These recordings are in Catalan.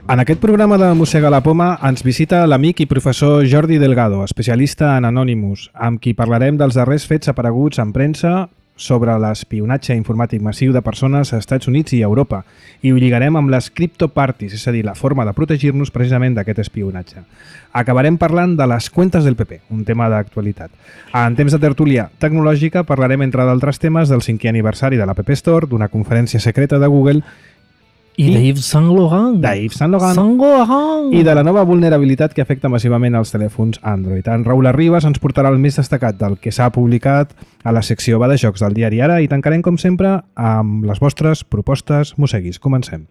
En aquest programa de Mossega la Poma ens visita l'amic i professor Jordi Delgado, especialista en Anonymous, amb qui parlarem dels darrers fets apareguts en premsa sobre l'espionatge informàtic massiu de persones als Estats Units i Europa, i ho lligarem amb les criptoparties, és a dir, la forma de protegir-nos precisament d'aquest espionatge. Acabarem parlant de les cuentes del PP, un tema d'actualitat. En temps de tertúlia tecnològica parlarem, entre d'altres temes, del 5è aniversari de la App Store, d'una conferència secreta de Google i d'Yves Saint Laurent. I de la nova vulnerabilitat que afecta massivament els telèfons Android. En Raül Arribas ens portarà el més destacat del que s'ha publicat a la secció Va de Jocs del diari Ara i tancarem, com sempre, amb les vostres propostes mosseguis. Comencem.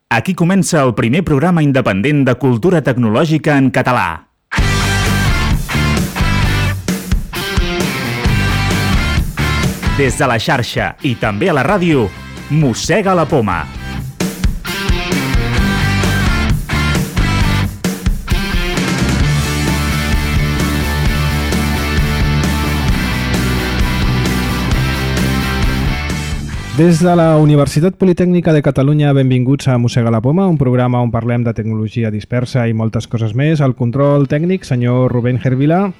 Aquí comença el primer programa independent de cultura tecnològica en català. Des de la xarxa i també a la ràdio, Mossega la Poma. Des de la Universitat Politècnica de Catalunya, benvinguts a Mossega la Poma, un programa on parlem de tecnologia dispersa i moltes coses més. Al control tècnic, senyor Rubén Gervila.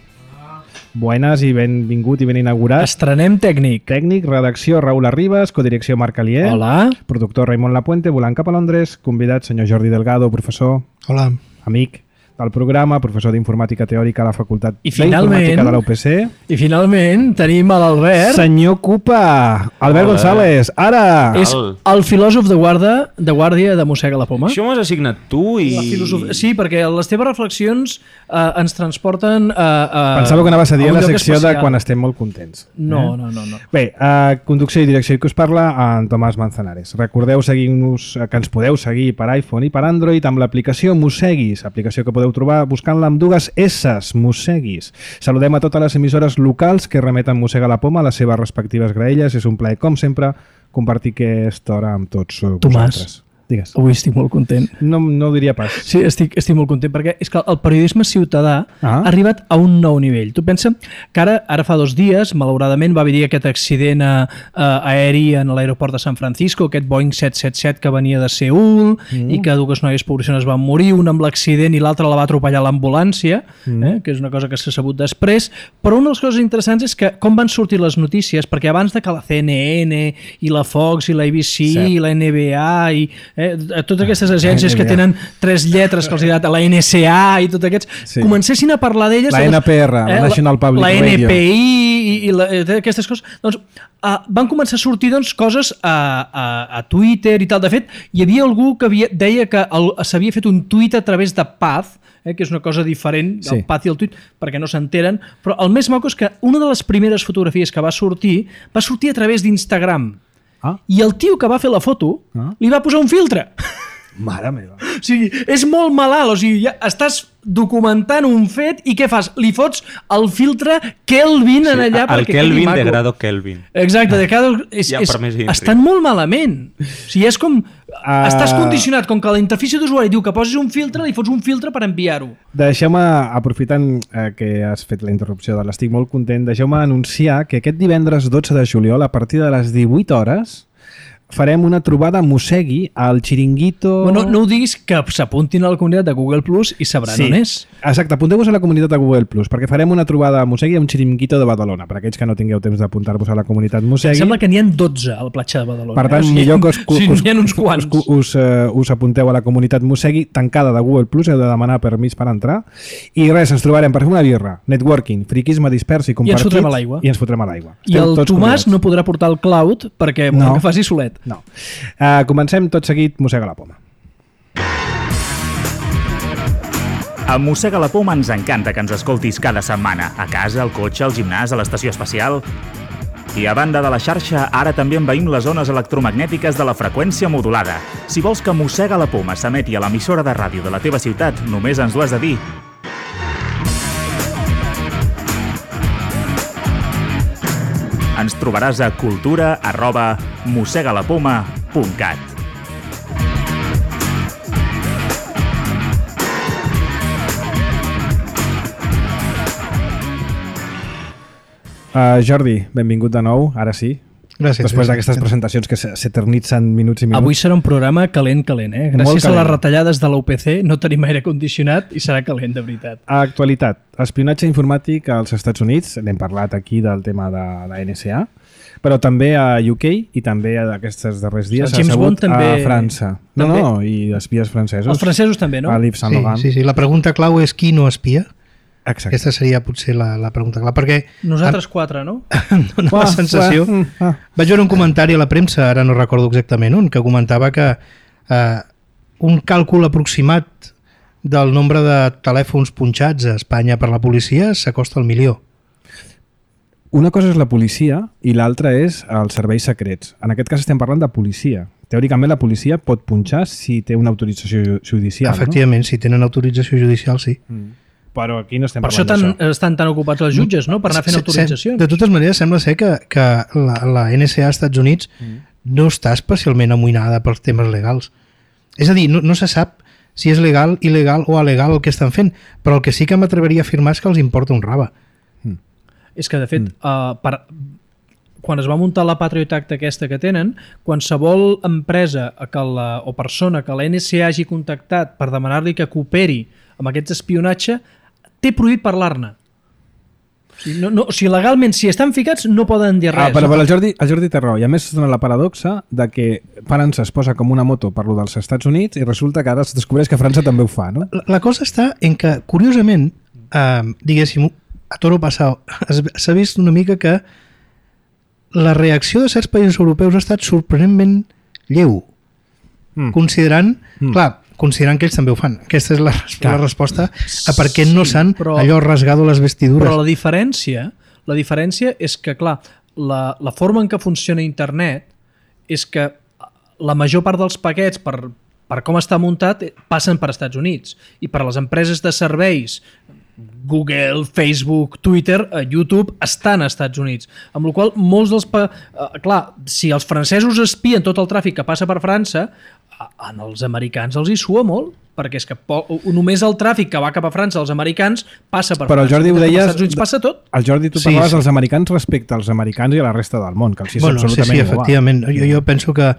Buenas i benvingut i ben inaugurat. Estrenem tècnic. Tècnic, redacció Raül Arribas, codirecció Marc Alier. Hola. Productor Raimon Lapuente, volant cap a Londres. Convidat senyor Jordi Delgado, professor. Hola. Amic del programa, professor d'Informàtica Teòrica a la Facultat d'Informàtica de la UPC. I finalment tenim a l'Albert. Senyor Cupa, Albert González, ara! És el filòsof de guàrdia de Mossega la Poma. Això m'ho has assignat tu i... Sí, perquè les teves reflexions ens transporten a... Pensava que anaves a dir la secció de quan estem molt contents. No. Bé, conducció i direcció que us parla en Tomàs Manzanares. Recordeu seguir-nos, que ens podeu seguir per iPhone i per Android amb l'aplicació Mosseguis, aplicació que podeu trobar buscant-la amb dues S's, Mosseguis. Saludem a totes les emissores locals que remeten Mossega la Poma a les seves respectives graelles. És un plaer, com sempre, compartir aquesta hora amb tots vosaltres. Digues. Avui estic molt content. No ho diria pas. Sí, estic molt content perquè és que el periodisme ciutadà ha arribat a un nou nivell. Tu pensa que ara fa 2 dies, malauradament, va haver aquest accident aeri en l'aeroport de San Francisco, aquest Boeing 777 que venia de Seül i que 2 noies poblacions van morir, una amb l'accident i l'altra la va atropellar l'ambulància, que és una cosa que s'ha sabut després, però una de les coses interessants és que com van sortir les notícies, perquè abans de que la CNN i la Fox i la ABC i la NBA i totes aquestes agències que tenen 3 lletres que els he dat a la NSA i tots aquests, comencessin a parlar d'elles, la NPR, la National Public Radio, la NPI i aquestes coses, doncs van començar a sortir coses a Twitter i tal. De fet, hi havia algú que deia que s'havia fet un tuit a través de Path, que és una cosa diferent del Path i el tuit, perquè no s'enteren, però el més maco és que una de les primeres fotografies que va sortir a través d'Instagram. I el tio que va fer la foto li va posar un filtre. Mare meva. O sigui, és molt malalt. O sigui, ja estàs documentant un fet i què fas? Li fots el filtre Kelvin en allà el Kelvin de grado Kelvin. Exacte, de grado... Estan molt malament. O sigui, és com... Estàs condicionat, com que la interfície d'usuari diu que posis un filtre, li fots un filtre per enviar-ho. Deixeu-me, aprofitant que has fet la interrupció de l'estic molt content, deixeu-me anunciar que aquest divendres 12 de juliol, a partir de les 18 hores, farem una trobada Mossegui al Chiringuito... Bueno, no ho diguis, que s'apuntin a la comunitat de Google Plus i sabran on és. Exacte, apunteu-vos a la comunitat de Google Plus, perquè farem una trobada Mossegui a un Chiringuito de Badalona, per aquells que no tingueu temps d'apuntar-vos a la comunitat Mossegui. Em sembla que n'hi ha 12 a la platja de Badalona. Per tant, millor que us apunteu a la comunitat Mossegui tancada de Google Plus, heu de demanar permís per entrar. I res, ens trobarem per fer una birra, networking, friquisme dispers i compartit. I ens fotrem a l'aigua. I ens fotrem a l'aigua. I el Tomàs no podrà portar el cloud perquè volem que faci solet. No. Comencem tot seguit Mossega la Poma. A Mossega la Poma ens encanta que ens escoltis cada setmana, a casa, al cotxe, al gimnàs, a l'estació espacial. I a banda de la xarxa, ara també envaïm les zones electromagnètiques de la freqüència modulada. Si vols que Mossega la Poma s'emeti a l'emissora de ràdio de la teva ciutat, només ens ho has de dir. Ens trobaràs a cultura@mossegalapoma.cat. Jordi, benvingut de nou, ara sí. Gràcies. Després d'aquestes presentacions que s'eternitzen minuts i minuts. Avui serà un programa calent. Gràcies a les retallades de l'UPC no tenim aire condicionat i serà calent, de veritat. Actualitat. Espionatge informàtic als Estats Units. N'hem parlat aquí del tema de la NSA, però també a UK i també d'aquests darrers dies James Bond també... a França. No, i espies francesos. Els francesos també, no? A Yves Saint Laurent. Sí. La pregunta clau és qui no espia? Exacte. Aquesta seria potser la pregunta clara, perquè... Nosaltres quatre, no? Em dóna la sensació... Vaig veure un comentari a la premsa, ara no recordo exactament on, que comentava que un càlcul aproximat del nombre de telèfons punxats a Espanya per la policia s'acosta al 1.000.000. Una cosa és la policia i l'altra és els serveis secrets. En aquest cas estem parlant de policia. Teòricament la policia pot punxar si té una autorització judicial, Efectivament, si tenen autorització judicial, sí. Però aquí no estem per parlant d'això. Per això estan tan ocupats els jutges, no? Per anar fent autoritzacions. De totes maneres, sembla ser que la NSA als Estats Units no està especialment amoïnada pels temes legals. És a dir, no se sap si és legal, il·legal o alegal el que estan fent, però el que sí que m'atreveria a afirmar és que els importa un rave. És que, de fet, quan es va muntar la Patriot Act aquesta que tenen, qualsevol empresa o persona que la NSA hagi contactat per demanar-li que cooperi amb aquest espionatge, té prohibit parlar-ne. O sigui, legalment, si estan ficats, no poden dir res. Però el Jordi té raó. I a més es dona la paradoxa de que França es posa com una moto per lo dels Estats Units i resulta que ara es descobreix que França també ho fa, no? La cosa està en que, curiosament, diguéssim, a toro passau, s'ha vist una mica que la reacció de certs països europeus ha estat sorprenentment lleu. Considerant que ells també ho fan. Aquesta és la resposta a per què no s'han allò rasgado les vestidures. Però la diferència és que, clar, la forma en què funciona internet és que la major part dels paquets, per com està muntat, passen per Estats Units. I per les empreses de serveis, Google, Facebook, Twitter, YouTube, estan als Estats Units. Amb la qual cosa, molts dels... clar, si els francesos espien tot el tràfic que passa per França, als americans els hi sua molt, perquè és que només el tràfic que va cap a França als americans passa per França. Però el Jordi ho deies... Als Estats Units passa tot. El Jordi, tu parlaves dels americans respecte als americans i a la resta del món, que els és absolutament igual. Efectivament. Jo penso que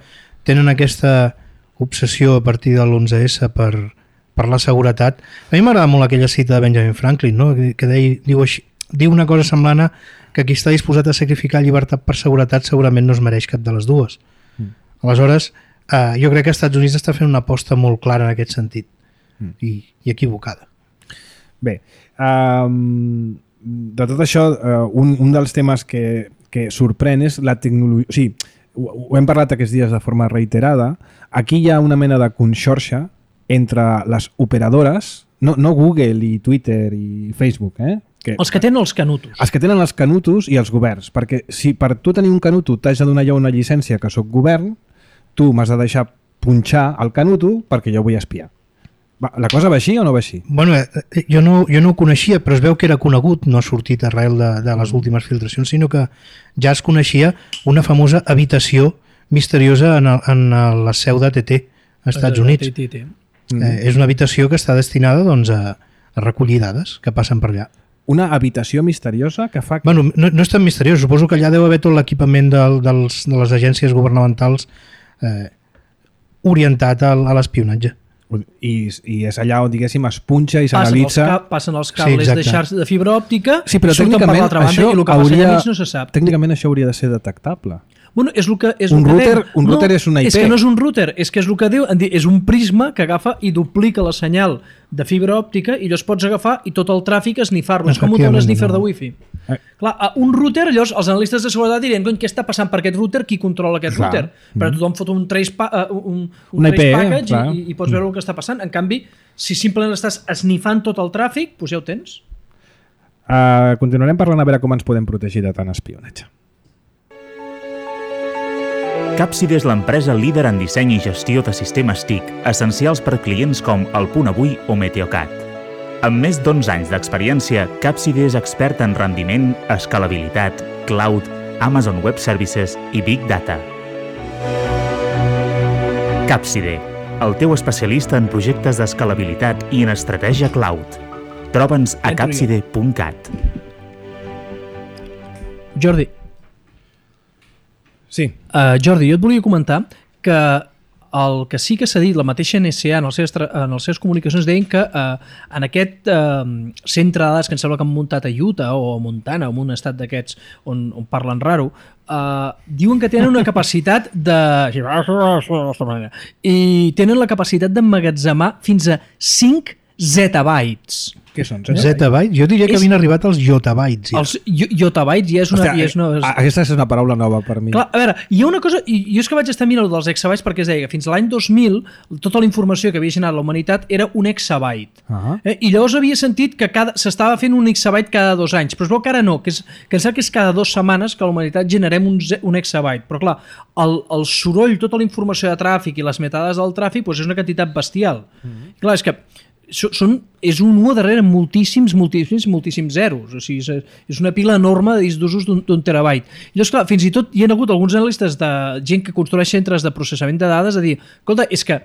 tenen aquesta obsessió a partir de l'11S per la seguretat. A mi m'agrada molt aquella cita de Benjamin Franklin, no? Que diu una cosa semblant a que qui està disposat a sacrificar llibertat per seguretat segurament no es mereix cap de les dues. Aleshores, jo crec que els Estats Units està fent una aposta molt clara en aquest sentit i equivocada. Bé, de tot això, un dels temes que sorprèn és la tecnologia... O sigui, ho hem parlat aquests dies de forma reiterada. Aquí hi ha una mena de conxorxa entre les operadores, no Google i Twitter i Facebook, els que tenen els canutos. Els que tenen els canutos i els governs, perquè si per tu tenir un canuto t'has de donar jo una llicència que soc govern, tu m'has de deixar punxar el canuto perquè jo vull espiar. La cosa va així o no va així? Bueno, jo no ho coneixia, però es veu que era conegut, no ha sortit arrel de les últimes filtracions, sinó que ja es coneixia una famosa habitació misteriosa en la seu d'AT&T als Estats Units. És una habitació que està destinada doncs, a recollir dades que passen per allà. Una habitació misteriosa que fa... Bueno, no és tan misteriós, suposo que allà deu haver tot l'equipament de les agències governamentals orientat a l'espionatge. I és allà on, diguéssim, es punxa i s'analitza... Passen els cables de xarxa de fibra òptica, però surten per l'altra banda i el que passa allà mig no se sap. Tècnicament això hauria de ser detectable. Bueno, és el que un router és una IP. És que no és un router, és que és el que diu, és un prisma que agafa i duplica la senyal de fibra òptica i llavors pots agafar i tot el tràfic esnifar-lo. És com un sniffer de wifi. Clar, un router, llavors els analistes de seguretat dirien què està passant per aquest router, qui controla aquest router? Però tothom fot un trace package i pots veure el que està passant. En canvi, si simplement estàs esnifant tot el tràfic, doncs ja ho tens. Continuarem parlant a veure com ens podem protegir de tant espionatge. Capside és l'empresa líder en disseny i gestió de sistemes TIC, essencials per clients com El Punt Avui o Meteocat. Amb més d'11 anys d'experiència, Capside és expert en rendiment, escalabilitat, cloud, Amazon Web Services i Big Data. Capside, el teu especialista en projectes d'escalabilitat i en estratègia cloud. Troba'ns a capside.cat. Jordi. Sí. Jordi, jo et volia comentar que el que sí que s'ha dit, la mateixa NSA en les seves comunicacions deien que en aquest centre de dades que em sembla que han muntat a Utah o a Montana o en un estat d'aquests on parlen raro, diuen que tenen una capacitat i tenen la capacitat d'emmagatzemar fins a 5 zettabytes. Què són? Zettabytes? Jo diria que havien arribat als yottabytes. Ja. Els yottabytes ja és una... Hòstia, aquesta és una paraula nova per mi. Clar, a veure, hi ha una cosa... Jo és que vaig estar mirant dels exabytes perquè es deia que fins a l'any 2000 tota la informació que havia generat la humanitat era un exabyte. I llavors havia sentit que s'estava fent un exabyte cada 2 anys, però es veu que ara no, que em sembla que és cada 2 setmanes que la humanitat generem un exabyte. Però clar, el soroll, tota la informació de tràfic i les metadades del tràfic és una quantitat bestial. Clar, és que és un 1 darrere moltíssims zeros. O sigui, és una pila enorme de discs d'usos d'un terabyte. I llavors, clar, fins i tot hi ha hagut alguns analistes de gent que construeix centres de processament de dades a dir, escolta, és que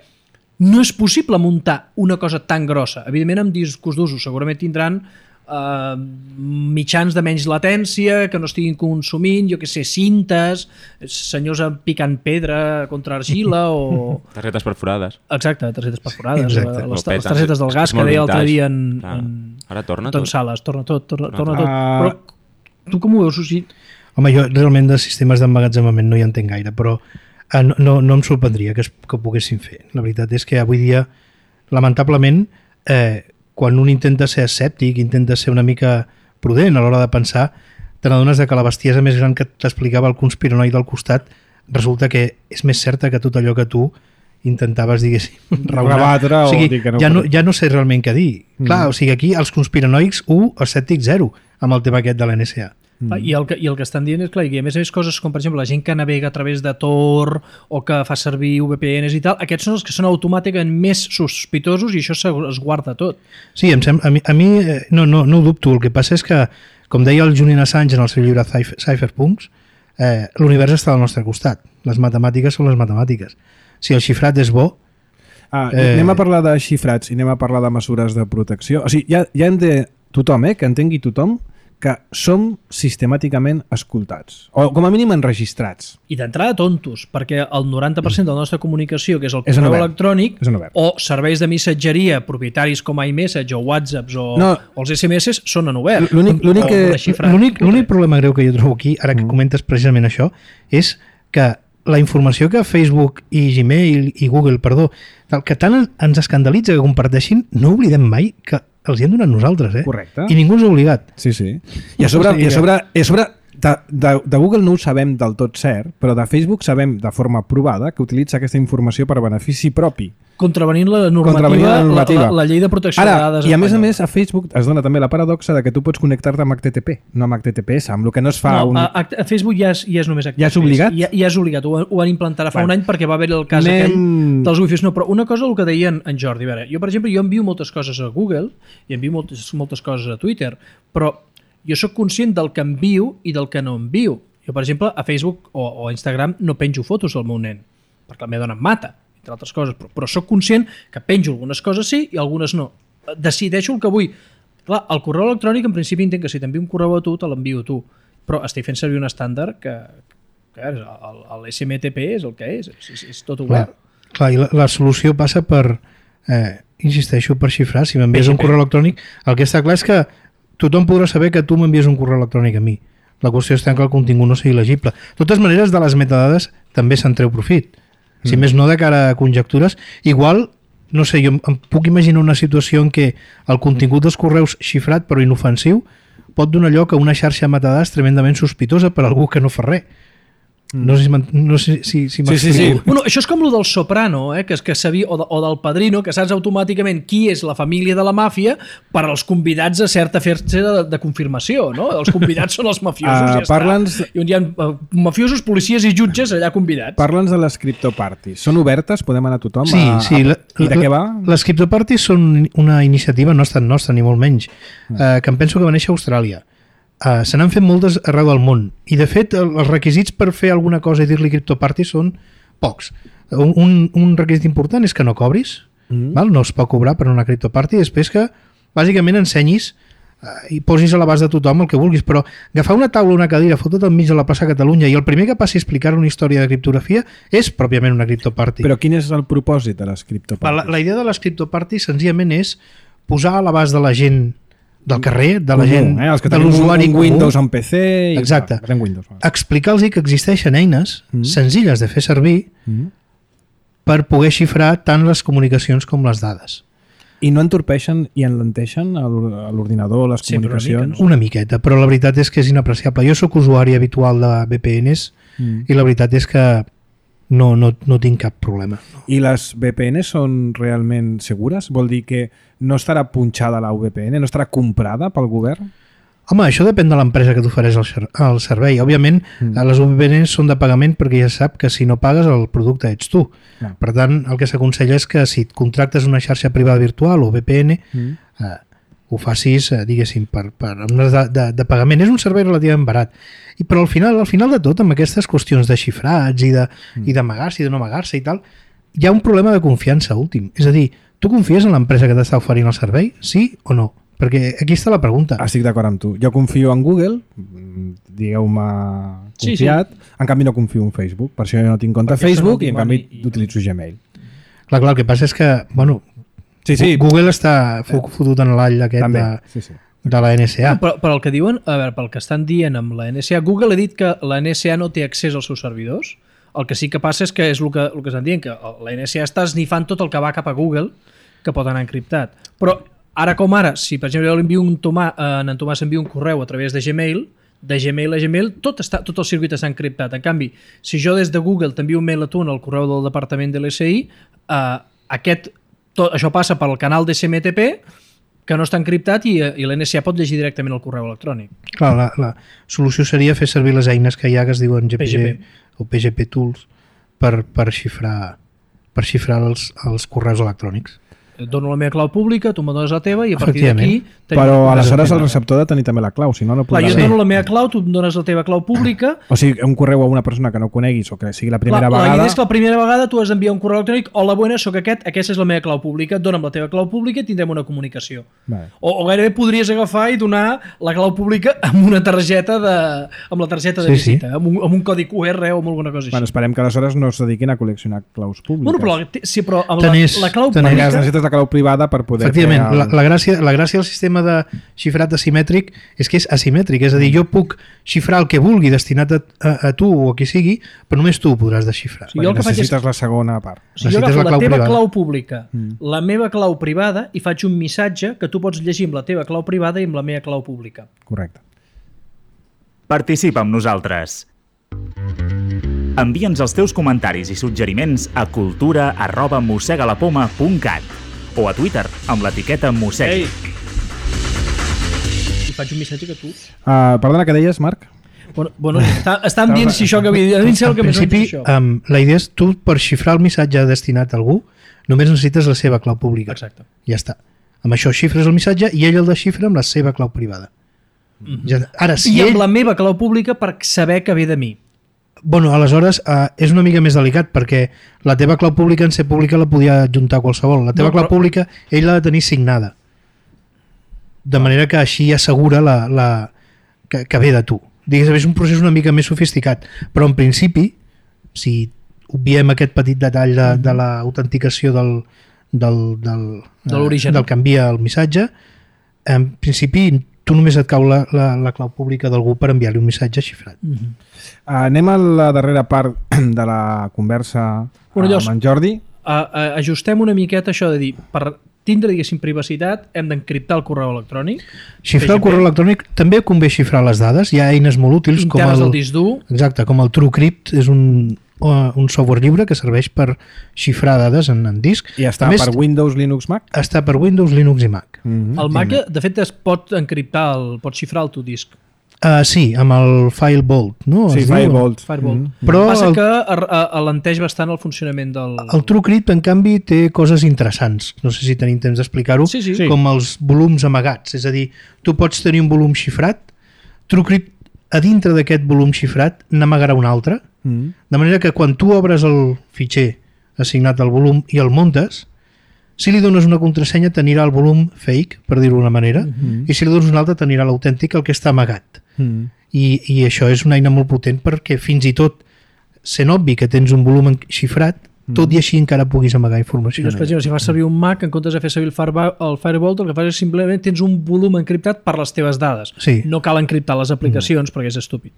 no és possible muntar una cosa tan grossa. Evidentment, amb discos d'usos segurament tindran mitjans de menys latència que no estiguin consumint, jo que sé, cintes, senyors picant pedra contra argila o... Targetes perforades. Exacte, targetes perforades. Les targetes del gas que deia l'altre dia ara torna tot. Sales, torna tot. Però tu com ho veus, Susi? Home, jo realment de sistemes d'emmagatzemament no hi entenc gaire, però no em sorprendria que ho poguessin fer. La veritat és que avui dia, lamentablement, quan un intenta ser escèptic, intenta ser una mica prudent a l'hora de pensar, te n'adones que la bestiesa més gran que t'explicava el conspiranoide al costat resulta que és més certa que tot allò que tu intentaves, diguéssim, rebatre. O sigui, ja no sé realment què dir. Clar, o sigui, aquí els conspiranoics 1, escèptic 0, amb el tema aquest de la NSA. I el que estan dient és, clar, i a més coses com, per exemple, la gent que navega a través de Tor o que fa servir VPNs i tal, aquests són els que són automàticament més sospitosos i això es guarda tot. Sí, a mi no ho dubto. El que passa és que, com deia el Julian Assange en el seu llibre Cypherpunks, l'univers està al nostre costat. Les matemàtiques són les matemàtiques. Si el xifrat és bo... Anem a parlar de xifrats i anem a parlar de mesures de protecció. O sigui, ja hem de... Tothom, que entengui tothom, que som sistemàticament escoltats, o com a mínim enregistrats. I d'entrada tontos, perquè el 90% de la nostra comunicació, que és el correu electrònic, o serveis de missatgeria propietaris com iMessage o WhatsApps o els SMS són en obert. L'únic problema greu que jo trobo aquí, ara que comentes precisament això, és que la informació que Facebook i Gmail i Google, que tant ens escandalitza que comparteixin, no oblidem mai que els hi hem donat nosaltres, Correcte. I ningú ens ha obligat. Sí. I a sobre de Google no ho sabem del tot cert, però de Facebook sabem de forma provada que utilitza aquesta informació per a benefici propi. Contravenint la normativa. La llei de protecció de dades. I a més, a Facebook es dona també la paradoxa de que tu pots connectar-te amb HTTP, no amb HTTPS, amb el que no es fa... A Facebook ja és només HTTPS. Ja és obligat? Ja és obligat, ho van implantar fa un any perquè va haver el cas aquell dels wifis. No, però una cosa, el que deia en Jordi, a veure, jo per exemple, envio moltes coses a Google i envio moltes coses a Twitter, però jo sóc conscient del que envio i del que no envio. Jo, per exemple, a Facebook o a Instagram no penjo fotos del meu nen, perquè la meva dona em mata, entre altres coses, però sóc conscient que penjo algunes coses sí i algunes no. Decideixo el que vull. Clar, el correu electrònic, en principi, entenc que si t'envio un correu a tu, te l'envio a tu, però estic fent servir un estàndard que l'SMTP és el que és tot obert. Clar, i la solució passa per, insisteixo, per xifrar. Si m'envies un correu electrònic, el que està clar és que tothom podrà saber que tu m'envies un correu electrònic a mi. La qüestió està que el contingut no sigui legible. De totes maneres, de les metadades també se'n treu profit. Si més no de cara a conjectures, igual, no sé, jo em puc imaginar una situació en què el contingut dels correus xifrat però inofensiu pot donar lloc a una xarxa de metadades tremendament sospitosa per algú que no fa res. No sé si m'explico. Sí. Bueno, això és com el del Soprano, que sabia, o del Padrino, que saps automàticament qui és la família de la màfia per als convidats a certa festa de confirmació, no? Els convidats són els mafiosos, I on hi ha mafiosos, policies i jutges allà convidats. Parla'ns de les criptoparties. Són obertes? Podem anar tothom? Sí. I de què va? Les criptoparties són una iniciativa no tan nostra, ni molt menys, que em penso que va néixer a Austràlia. Se n'han fet moltes arreu del món i de fet els requisits per fer alguna cosa i dir-li criptoparty són pocs. Un requisit important és que no cobris, val? No es pot cobrar per una criptoparty, després que bàsicament ensenyis i posis a l'abast de tothom el que vulguis, però agafar una taula o una cadira, fotre't enmig de la plaça Catalunya i el primer que passi a explicar una història de criptografia és pròpiament una criptoparty. Però quin és el propòsit de les criptoparties? La idea de les criptoparties senzillament és posar a l'abast de la gent del carrer, de la gent, els que de l'usuari un Windows, un PC... Exacte. Windows, explicar-los que existeixen eines senzilles de fer servir per poder xifrar tant les comunicacions com les dades. I no entorpeixen i enlenteixen l'ordinador, les comunicacions? Una miqueta, però la veritat és que és inapreciable. Jo sóc usuari habitual de VPNs i la veritat és que no tinc cap problema. I les VPNs són realment segures? Vol dir que no estarà punxada la VPN, no estarà comprada pel govern? Home, això depèn de l'empresa que t'ofereix el servei. Òbviament, les VPNs són de pagament perquè ja sap que si no pagues el producte ets tu. Per tant, el que s'aconsella és que si et contractes una xarxa privada virtual o VPN, ho facis, diguéssim, de pagament. És un servei relativament barat. Però al final de tot, amb aquestes qüestions de xifrats i d'amagar-se i de no amagar-se i tal, hi ha un problema de confiança últim. És a dir, tu confies en l'empresa que t'està oferint el servei? Sí o no? Perquè aquí està la pregunta. Estic d'acord amb tu. Jo confio en Google, digueu-me confiat, en canvi no confio en Facebook. Per això jo no tinc compte a Facebook i en canvi utilitzo Gmail. Clar, el que passa és que, bueno, Google està fotut en l'all aquest de la NSA. Però el que diuen, a veure, pel que estan dient amb la NSA, Google ha dit que la NSA no té accés als seus servidors. El que sí que passa és que és el que estan dient, que la NSA està esnifant tot el que va cap a Google, que pot anar encriptat. Però ara com ara, si per exemple jo l'envio en Tomàs envia un correu a través de Gmail a Gmail, tot el circuit està encriptat. En canvi, si jo des de Google t'envio un mail a tu en el correu del departament de l'SI, això passa pel canal de SMTP, que no està encriptat i l'NSA pot llegir directament el correu electrònic. Clar, la solució seria fer servir les eines que hi ha que es diuen GPG o PGP Tools per xifrar els correus electrònics. Et dono la meva clau pública, tu me dones la teva i a partir d'aquí... Però aleshores el receptor ha de tenir també la clau, si no, no podrà... Jo et dono la meva clau, tu em dones la teva clau pública... O sigui, un correu a una persona que no coneguis o que sigui la primera vegada... La idea és que la primera vegada tu has d'enviar un correu electrònic hola, buenas, soc aquesta és la meva clau pública, dona'm la teva clau pública i tindrem una comunicació. O gairebé podries agafar i donar la clau pública amb una targeta amb la targeta de visita, amb un codi QR o amb alguna cosa així. Bueno, esperem que aleshores no es dediquin a col·leccionar claus públiques. Però amb la clau pública... Necessites la clau privada per poder... Efectivament, la gràcia del sistema de xifrat asimètric és que és asimètric, és a dir, jo puc xifrar el que vulgui destinat a tu o a qui sigui, però només tu ho podràs desxifrar. Necessites la segona part. Jo agafo la teva clau pública, la meva clau privada i faig un missatge que tu pots llegir amb la teva clau privada i amb la meva clau pública. Correcte. Participa amb nosaltres. Envia'ns els teus comentaris i suggeriments a cultura@mossegalapoma.cat o a Twitter amb l'etiqueta Mossegui. I faig un missatge que tu... Perdona, què deies, Marc? Bueno, estan dient si això que havia dit. En principi, la idea és tu, per xifrar el missatge destinat a algú, només necessites la seva clau pública. Exacte. Ja està. Amb això xifres el missatge i ell el desxifra amb la seva clau privada. I amb la meva clau pública per saber que ve de mi. Bueno, aleshores és una mica més delicat perquè la teva clau pública en ser pública la podia adjuntar qualsevol. La teva clau pública ell l'ha de tenir signada. De manera que així assegura que ve de tu. Digues, és un procés una mica més sofisticat, però en principi, si obviem aquest petit detall de l'autenticació del que envia el missatge, en principi tu només et cau la clau pública d'algú per enviar-li un missatge xifrat. Anem a la darrera part de la conversa amb en Jordi. Ajustem una miqueta això de dir, per tindre, diguéssim, privacitat, hem d'encriptar el correu electrònic. Xifrar el correu electrònic, també convé xifrar les dades. Hi ha eines molt útils internes del disc dur. Exacte, com el TrueCrypt, és un software lliure que serveix per xifrar dades en disc. I està per Windows, Linux, Mac? Està per Windows, Linux i Mac. El Mac, de fet, es pot encriptar, pot xifrar el teu disc. Sí, amb el FileVault, no? Sí, FileVault. Però passa que alenteix bastant el funcionament del... El TrueCrypt, en canvi, té coses interessants. No sé si tenim temps d'explicar-ho. Sí. Com els volums amagats. És a dir, tu pots tenir un volum xifrat, TrueCrypt a dintre d'aquest volum xifrat n'amagarà un altre, de manera que quan tu obres el fitxer assignat al volum i el muntes, Si li dones una contrasenya t'anirà al volum fake, per dir-ho d'una manera, i si li dones una altra t'anirà l'autèntic, el que està amagat. I això és una eina molt potent perquè fins i tot sent obvi que tens un volum xifrat, tot i així encara puguis amagar informació. Per exemple, si fas servir un Mac, en comptes de fer servir el Firewall, el que fas és simplement tens un volum encriptat per les teves dades. Sí. No cal encriptar les aplicacions perquè és estúpid.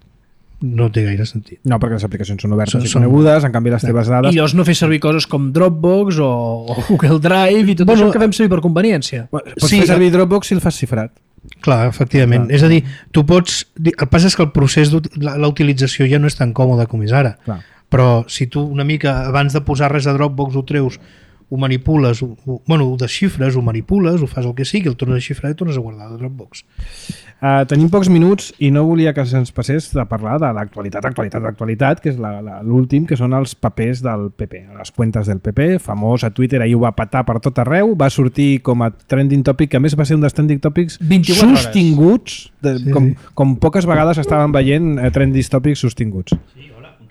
No té gaire sentit. No, perquè les aplicacions són obertes i conegudes, en canvi les teves dades... I llavors no fer servir coses com Dropbox o Google Drive i tot això que fem servir per conveniència. Pots fer servir Dropbox si el fas xifrat. Clar, efectivament. És a dir, tu pots... El que passa és que el procés de la utilització ja no és tan còmode com és ara. Clar. Però si tu una mica abans de posar res a Dropbox ho treus, ho manipules, ho desxifres, ho manipules, ho fas el que sigui, el tornes a xifrar i tornes a guardar a Dropbox. Tenim pocs minuts i no volia que se'ns passés de parlar de l'actualitat, que és l'últim, que són els papers del PP, les cuentes del PP, famós a Twitter, ahir ho va patar per tot arreu, va sortir com a trending topic, que a més va ser un dels trending topics sostinguts, com poques vegades estaven veient trending topics sostinguts.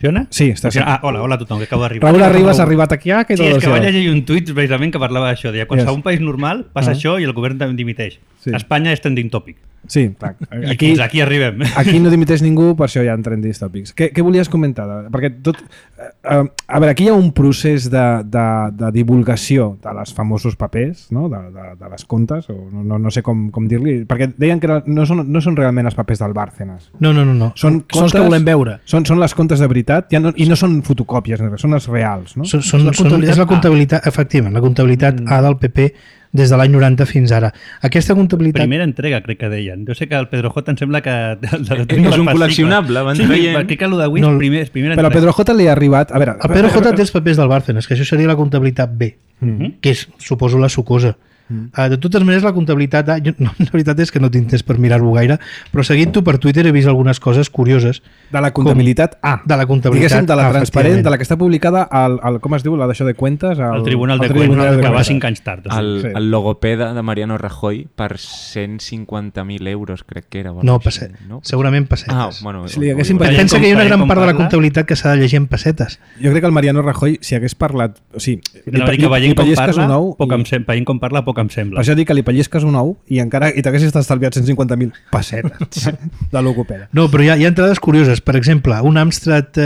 Funciona? Sí, està sent. Hola a tothom, que acabo d'arribar. Raúl Arribas ha arribat aquí. Sí, és que vaig llegir un tuit precisament que parlava d'això. Quan a un país normal passa això i el govern també dimiteix. Espanya és trending topic. Sí, clar. Fins aquí arribem. Aquí no dimiteix ningú, per això hi ha trending topics. Què volies comentar? Perquè a veure, aquí hi ha un procés de divulgació de les famosos papers, no? de les comptes, o no sé com dir-li, perquè deien que no són realment els papers del Bárcenas. No. Són els que volem veure. Són les comptes de veritat i no són fotocòpies, són els reals. No? És la comptabilitat, efectivament, la comptabilitat A del PP des de l'any 90 fins ara. Aquesta comptabilitat... Primera entrega, crec que deien. Jo sé que el Pedro J em sembla que... És un col·leccionable, van traient... Sí, crec que el de Wix, primera entrega. Però a Pedro J li ha arribat... A veure, el Pedro J té els papers del Bárcenas, que això seria la comptabilitat B, que és, suposo, la sucosa. De totes maneres, la comptabilitat A, la veritat és que no tinc temps per mirar-ho gaire, però seguint-ho per Twitter he vist algunes coses curioses. De la comptabilitat A. De la comptabilitat Diguéssim, de la transparent, de la que està publicada al com es diu, la d'això de cuentes? Al Tribunal de Cuentas, que va 5 anys tard. El logopeda de Mariano Rajoy per 150.000 euros, crec que era. No, segurament pessetes. Pensa que hi ha una gran part de la comptabilitat que s'ha de llegir en pessetes. Jo crec que el Mariano Rajoy, si hagués parlat... O sigui, veient com parla, poc em sembla. Per això dic que li pellesques un ou i t'haguessis estalviat 150.000 pessetes de logopeda. No, però hi ha entrades curioses. Per exemple, un Amstrad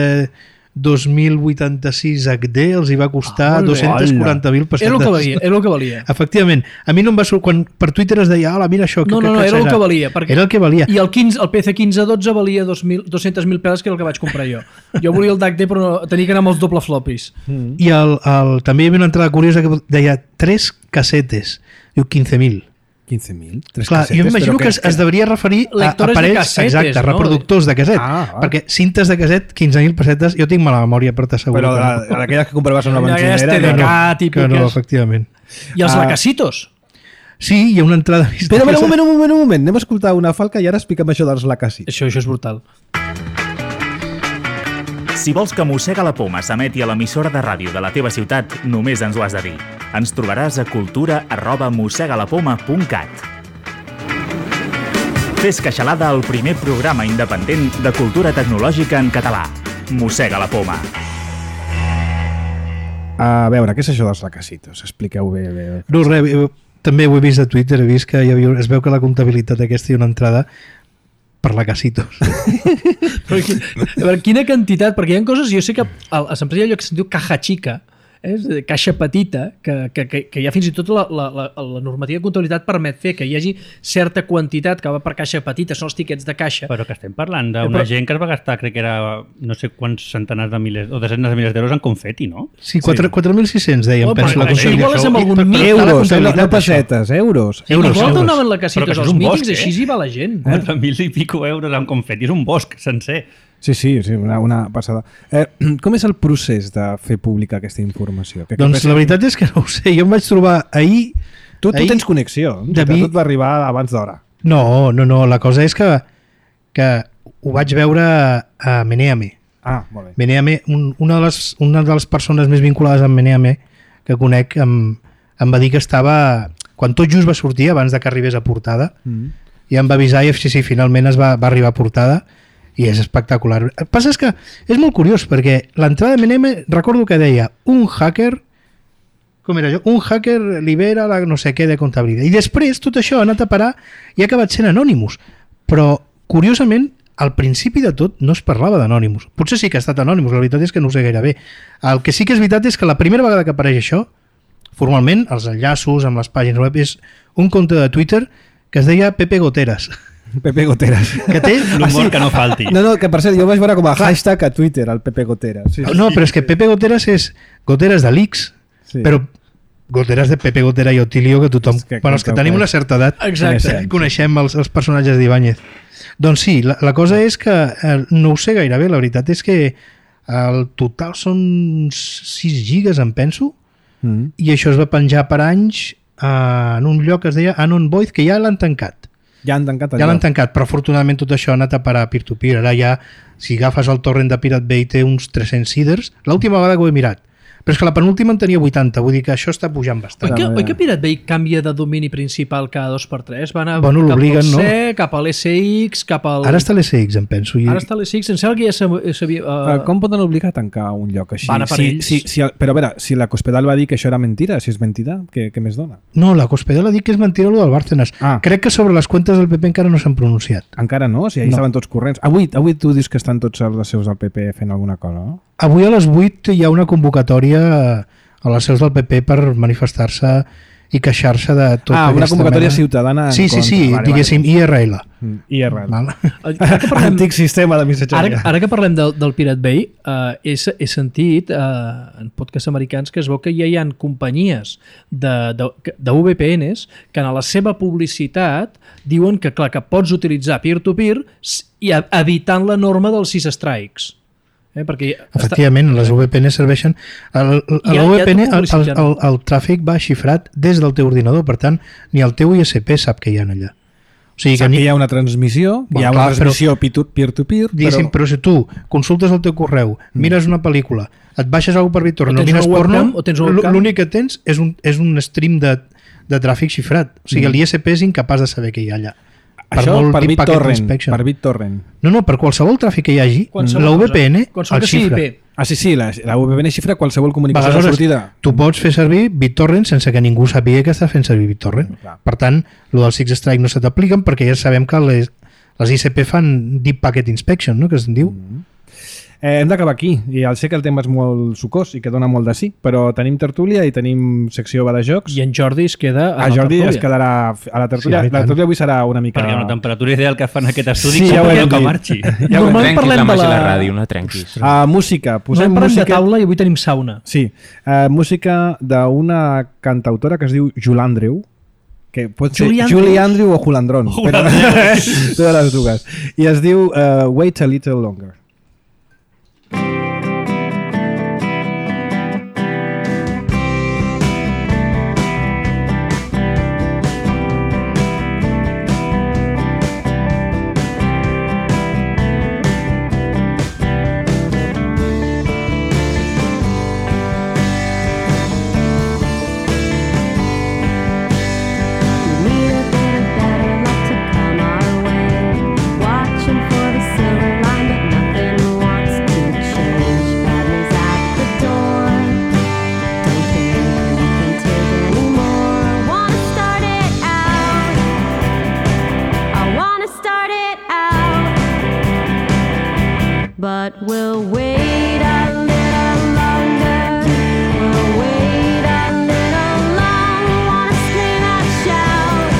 2086 HD els hi va costar 240.000 pessetes. És el que valia. Efectivament. A mi no em va sortir... Quan per Twitter es deia, mira això... No, era el que valia. Era el que valia. I el PC1512 valia 200.000 peles, que era el que vaig comprar jo. Jo volia el DAC-D, però tenia que anar amb els doble floppies. I també hi havia una entrada curiosa que deia 3 casetes. Diu 15.000. 15.000? Clar, jo m'imagino que es devia referir a aparells, exacte, reproductors de caset, perquè cintes de caset, 15.000 pessetes, jo tinc mala memòria per t'assegurar. Però d'aquelles que compraves en una benzinera... TDK, no, efectivament. I els lacasitos? Sí, hi ha una entrada... Espera, un moment, anem a escoltar una falca i ara explica'm això dels lacasitos. Això és brutal. Si vols que Mossega la Poma s'emeti a l'emissora de ràdio de la teva ciutat, només ens ho has de dir. Ens trobaràs a cultura@mossegalapoma.cat. Fes queixalada al primer programa independent de cultura tecnològica en català. Mossega la Poma. A veure, què és això dels lacasitos? Expliqueu bé. No, res, també ho he vist a Twitter, he vist que es veu que la comptabilitat aquesta hi ha una entrada per lacasitos. A veure, quina quantitat, perquè hi ha coses, jo sé que a l'empresa hi ha allò que se'n diu caja xica, caixa petita, que ja fins i tot la normativa de comptabilitat permet fer que hi hagi certa quantitat que va per caixa petita, són els tiquets de caixa. Però que estem parlant d'una gent que es va gastar, crec que era no sé quants centenars de milers o desenes de milers d'euros en confeti, no? Sí, 4.600 deien. Això igual és amb algun euros, no pessetes, euros. Igual donaven lacasitos als mítings, així hi va la gent. 4.000 i pico euros en confeti, és un bosc sencer. Sí, una passada. Com és el procés de fer pública aquesta informació? Doncs la veritat és que no ho sé. Jo em vaig trobar ahir... Tu tens connexió, tot va arribar abans d'hora. No, la cosa és que ho vaig veure a Meneame. Molt bé. Meneame, una de les persones més vinculades amb Meneame que conec em va dir que estava... Quan tot just va sortir, abans de que arribés a portada, i em va avisar i sí, finalment va arribar a portada i és espectacular. El que passa és que és molt curiós perquè l'entrada de Meneame recordo que deia un hacker com era allò? Un hacker libera la no sé què de comptabilitat. I després tot això ha anat a parar i ha acabat sent Anonymous. Però, curiosament, al principi de tot no es parlava d'Anonymous. Potser sí que ha estat Anonymous, la veritat és que no ho sé gaire bé. El que sí que és veritat és que la primera vegada que apareix això, formalment, els enllaços amb les pàgines web, és un compte de Twitter que es deia Pepe Goteras. Pepe Goteras. Que té... L'humor que no falti. No, que per cert, jo vaig veure com a hashtag a Twitter, el Pepe Goteras. Sí. No, però és que Pepe Goteras és Goteras de l'X, sí. Però Goteras de Pepe Gotera i Otilio, que tothom... Bueno, els que tenim una certa edat coneixem els personatges d'Ibáñez. Doncs sí, la cosa és que no ho sé gaire bé, la veritat és que el total són 6 gigas, em penso, i això es va penjar per anys en un lloc que es deia Anon Void, que ja l'han tancat. Ja han tancat allò. Ja l'han tancat, però afortunadament tot això ha anat a parar a peer-to-peer. Ara ja, si agafes el torrent de Pirate Bay, té uns 300 seeders. L'última vegada que ho he mirat. Però és que la penúltima en tenia 80, vull dir que això està pujant bastant. Oi que Pirate Bay canvia de domini principal cada 2x3? Va anar cap al C, cap a l'SX, cap al... Ara està l'SX, em penso. Ara està l'SX, em sembla que ja s'havia... Com poden obligar a tancar un lloc així? Van a per ells. Però a veure, si la Cospedal va dir que això era mentira, si és mentida, què més dona? No, la Cospedal ha dit que és mentira el del Bárcenas. Crec que sobre les comptes del PP encara no s'han pronunciat. Encara no? O sigui, estaven tots corrents. Avui tu dius que estan tots els seus del PP fent alguna cosa, no? Avui a les 8 hi ha una convocatòria a les seus del PP per manifestar-se i queixar-se de tot aquesta una convocatòria ciutadana sí, diguéssim, IRL. IRL. Antic sistema de missatgeria. Ara que parlem del Pirate Bay, he sentit en podcasts americans que es veu que ja hi ha companyies de VPNs que en la seva publicitat diuen que, clar, que pots utilitzar peer-to-peer i evitant la norma dels 6 strikes. Perquè efectivament, les VPN serveixen a la VPN el tràfic va xifrat des del teu ordinador, per tant ni el teu ISP sap que hi ha allà. O sigui que hi ha una transmissió, hi ha una transmissió peer-to-peer, però si tu consultes el teu correu, mires una pel·lícula, et baixes alguna per BitTorrent, no mires porno, l'únic que tens és un stream de tràfic xifrat. O sigui, l'ISP és incapaç de saber què hi ha allà. Això per BitTorrent. No, per qualsevol tràfic que hi hagi, la VPN el xifra. Sí, la VPN xifra qualsevol comunicació de sortida. Tu pots fer servir BitTorrent sense que ningú sàpiga que estàs fent servir BitTorrent. Per tant, el del Six Strike no se t'apliquen perquè ja sabem que les ISP fan Deep Packet Inspection, no?, que es diu. Hem d'acabar aquí, i ja sé que el tema és molt sucós i que dona molt de sí, però tenim tertúlia i tenim secció de jocs. I en Jordi es queda a la Jordi es quedarà a la tertúlia. La tertúlia avui serà una mica... Perquè la temperatura ideal que fan aquest estudi que marxi. Trenquis la màgia la ràdio, no trenquis. Música. Posem música de taula i avui tenim sauna. Sí, música d'una cantautora que es diu Julandreu, que pot ser Julie Andrew o Julandron, però totes les dues. I es diu Wait a Little Longer. But we'll wait a little longer. We'll wait a little longer. Wanna scream and shout.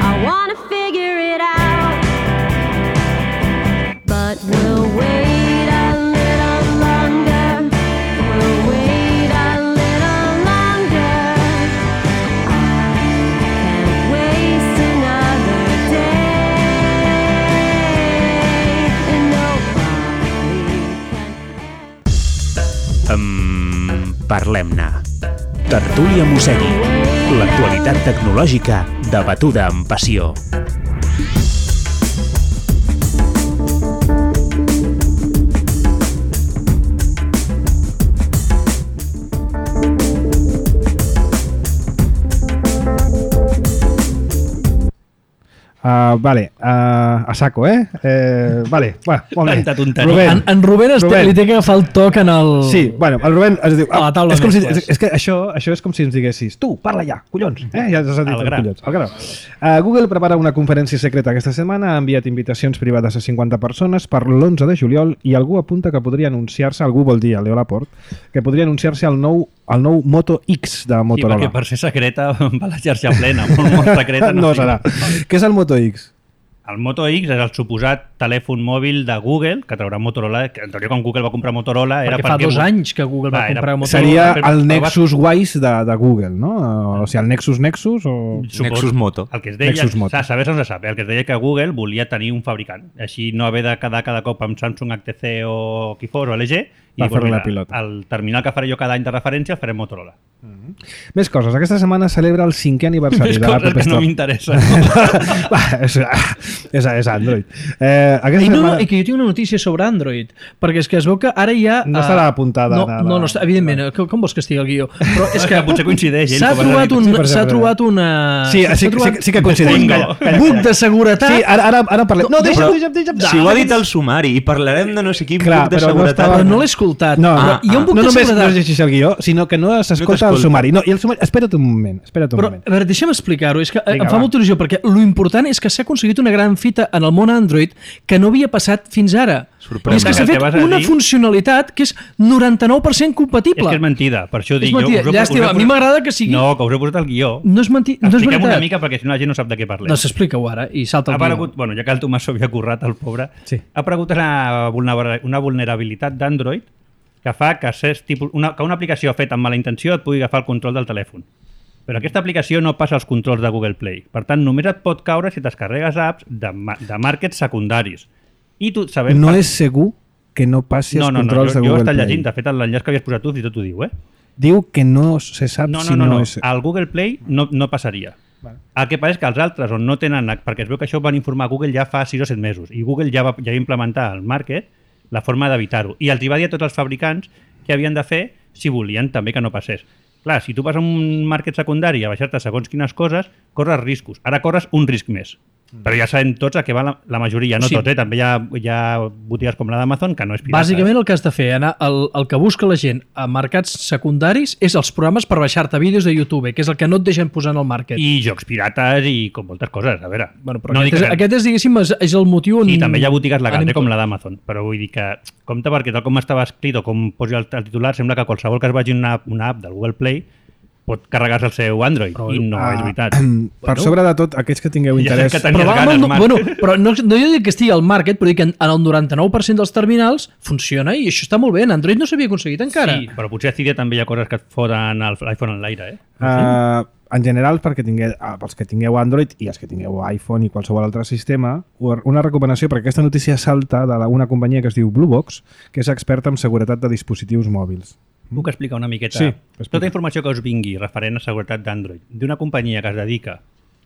I wanna figure it out. But we'll wait a little longer. We'll wait a little longer. I can't waste another day. And Parlem-ne. Tertúlia Mossegui. L'actualitat tecnològica debatuda amb passió. Vale, a saco, vale, bueno, molt bé. Tanta tonteria. Rubén, En Rubén li té que agafar el toc en el... Sí, bueno, el Rubén es diu... A la taula és, com si, mescles. és que això és com si ens diguessis tu, parla ja, collons. Ja has dit Al gra. collons. Al gra. Google prepara una conferència secreta aquesta setmana, ha enviat invitacions privades a 50 persones per l'11 de juliol i algú apunta que podria anunciar-se, algú vol dir, a Leo Laporte, que podria anunciar-se el nou Moto X de Sí, Motorola. perquè per ser secreta va la xarxa plena, molt secreta. no sí. serà. Què és el Moto X? El Moto X és el suposat telèfon mòbil de Google, que traurà Motorola, que en teoria quan Google va comprar Motorola era Perquè fa 2 anys que Google va comprar Motorola. Seria però el va- Nexus Wise de Google, no? O sigui, el Nexus o... Nexus Moto. El que es deia, Nexus Moto. saber no se sap, el que es deia que Google volia tenir un fabricant, així no haver de quedar cada cop amb Samsung, HTC o qui fos, o LG, i Va pues, fer-li la mira, pilota. el terminal que faré jo cada any de referència el faré amb Motorola. Més coses. Aquesta setmana celebra el 5è aniversari Més de l'App coses que no Store. m'interessen. és Android. Aquesta I, no, setmana... i que jo tinc una notícia sobre Android, perquè és que es veu que ara hi ha... No estarà apuntada. No, està, evidentment, com vols que estigui el guió? Però és que Potser coincideix, ell, s'ha com has trobat, dit. Sí, per s'ha exemple. trobat una... Sí que coincideix. Bingo. Calla. Buc de seguretat. Sí, ara parlem. No, deixa'm. Si ho ha dit el sumari i parlarem de no sé quin Clar, buc de però no seguretat... estava- Però no l'he escoltat. No, Però hi ha un buc no de només no seguretat. es llegeix el guió, sinó que no s'escolta el t'escolta. sumari. No, i el sumari... Espera't un moment. Però, a veure, deixa'm explicar-ho. És que Vinga, em fa va. molta il·lusió, perquè lo important és que s'ha aconseguit una gran fita en el món Android que no havia passat fins ara. Sorprèn. I és que s'ha Que fet vas a una dir- funcionalitat que és 99% És compatible. que és mentida, per això ho És dic. mentida. Jo us he Llàstima, posat- a mi m'agrada que sigui... No, que us he posat el guió. No és, no és Expliquem veritat. una mica perquè si no la gent no sap de què parlem. No, s'explica-ho ara i salta Ha el guió. aparegut, bueno, ja que el Tomàs s'ho havia currat, el pobre, Sí. ha aparegut una vulnerabilitat d'Android que fa que, que una aplicació feta amb mala intenció et pugui agafar el control del telèfon. Però aquesta aplicació no passa als controls de Google Play. Per tant, només et pot caure si descarregues apps de màrquets secundaris. I tu sabem... No és segur que no passi els controls de jo he Google estat Play. llegint, de fet, l'enllaç que havies posat tu, fins i tot ho diu, Diu que no se sap No, si no, no, és... al Google Play no passaria. Vale. El que passa és que els altres on no tenen... Perquè es veu que això ho van informar a Google ja fa 6 o 7 mesos i Google ja va implementar al market la forma d'evitar-ho. I els hi va dir a tots els fabricants que havien de fer si volien també que no passés. Clar, si tu vas a un market secundari a baixar-te segons quines coses, corres riscos. Ara corres un risc més. Però ja sabem tots a què va la majoria, no Sí. tot, també hi ha botigues com la d'Amazon que no és pirata. Bàsicament el que has de fer, anar, el que busca la gent a mercats secundaris és els programes per baixar-te vídeos de YouTube, que és el que no et deixen posar en el market. I jocs pirates i com moltes coses, a veure. Bueno, però no dic que- aquest és, diguéssim, és el motiu on... I també hi ha botigues legals, anem com la d'Amazon. Però vull dir que, compte perquè tal com estava escrit o com posi el titular, sembla que qualsevol que es vagi una app del Google Play pot carregar-se el seu Android. I no és veritat. Per sobre de tot, aquells que tingueu Ja interès... sé que tenies Però, ganes, Marc. bueno, però no jo dic que estigui al market, però dic que en el 99% dels terminals funciona i això està molt bé. En Android no s'havia aconseguit encara. Sí, però potser a Cydia també hi ha coses que et foten l'iPhone en l'aire, En general, pels que tingueu Android i els que tingueu iPhone i qualsevol altre sistema, una recomanació, perquè aquesta notícia salta d'una companyia que es diu Bluebox, que és experta en seguretat de dispositius mòbils. Puc explicar una miqueta? Sí, explica. Tota informació que us vingui referent a seguretat d'Android d'una companyia que es dedica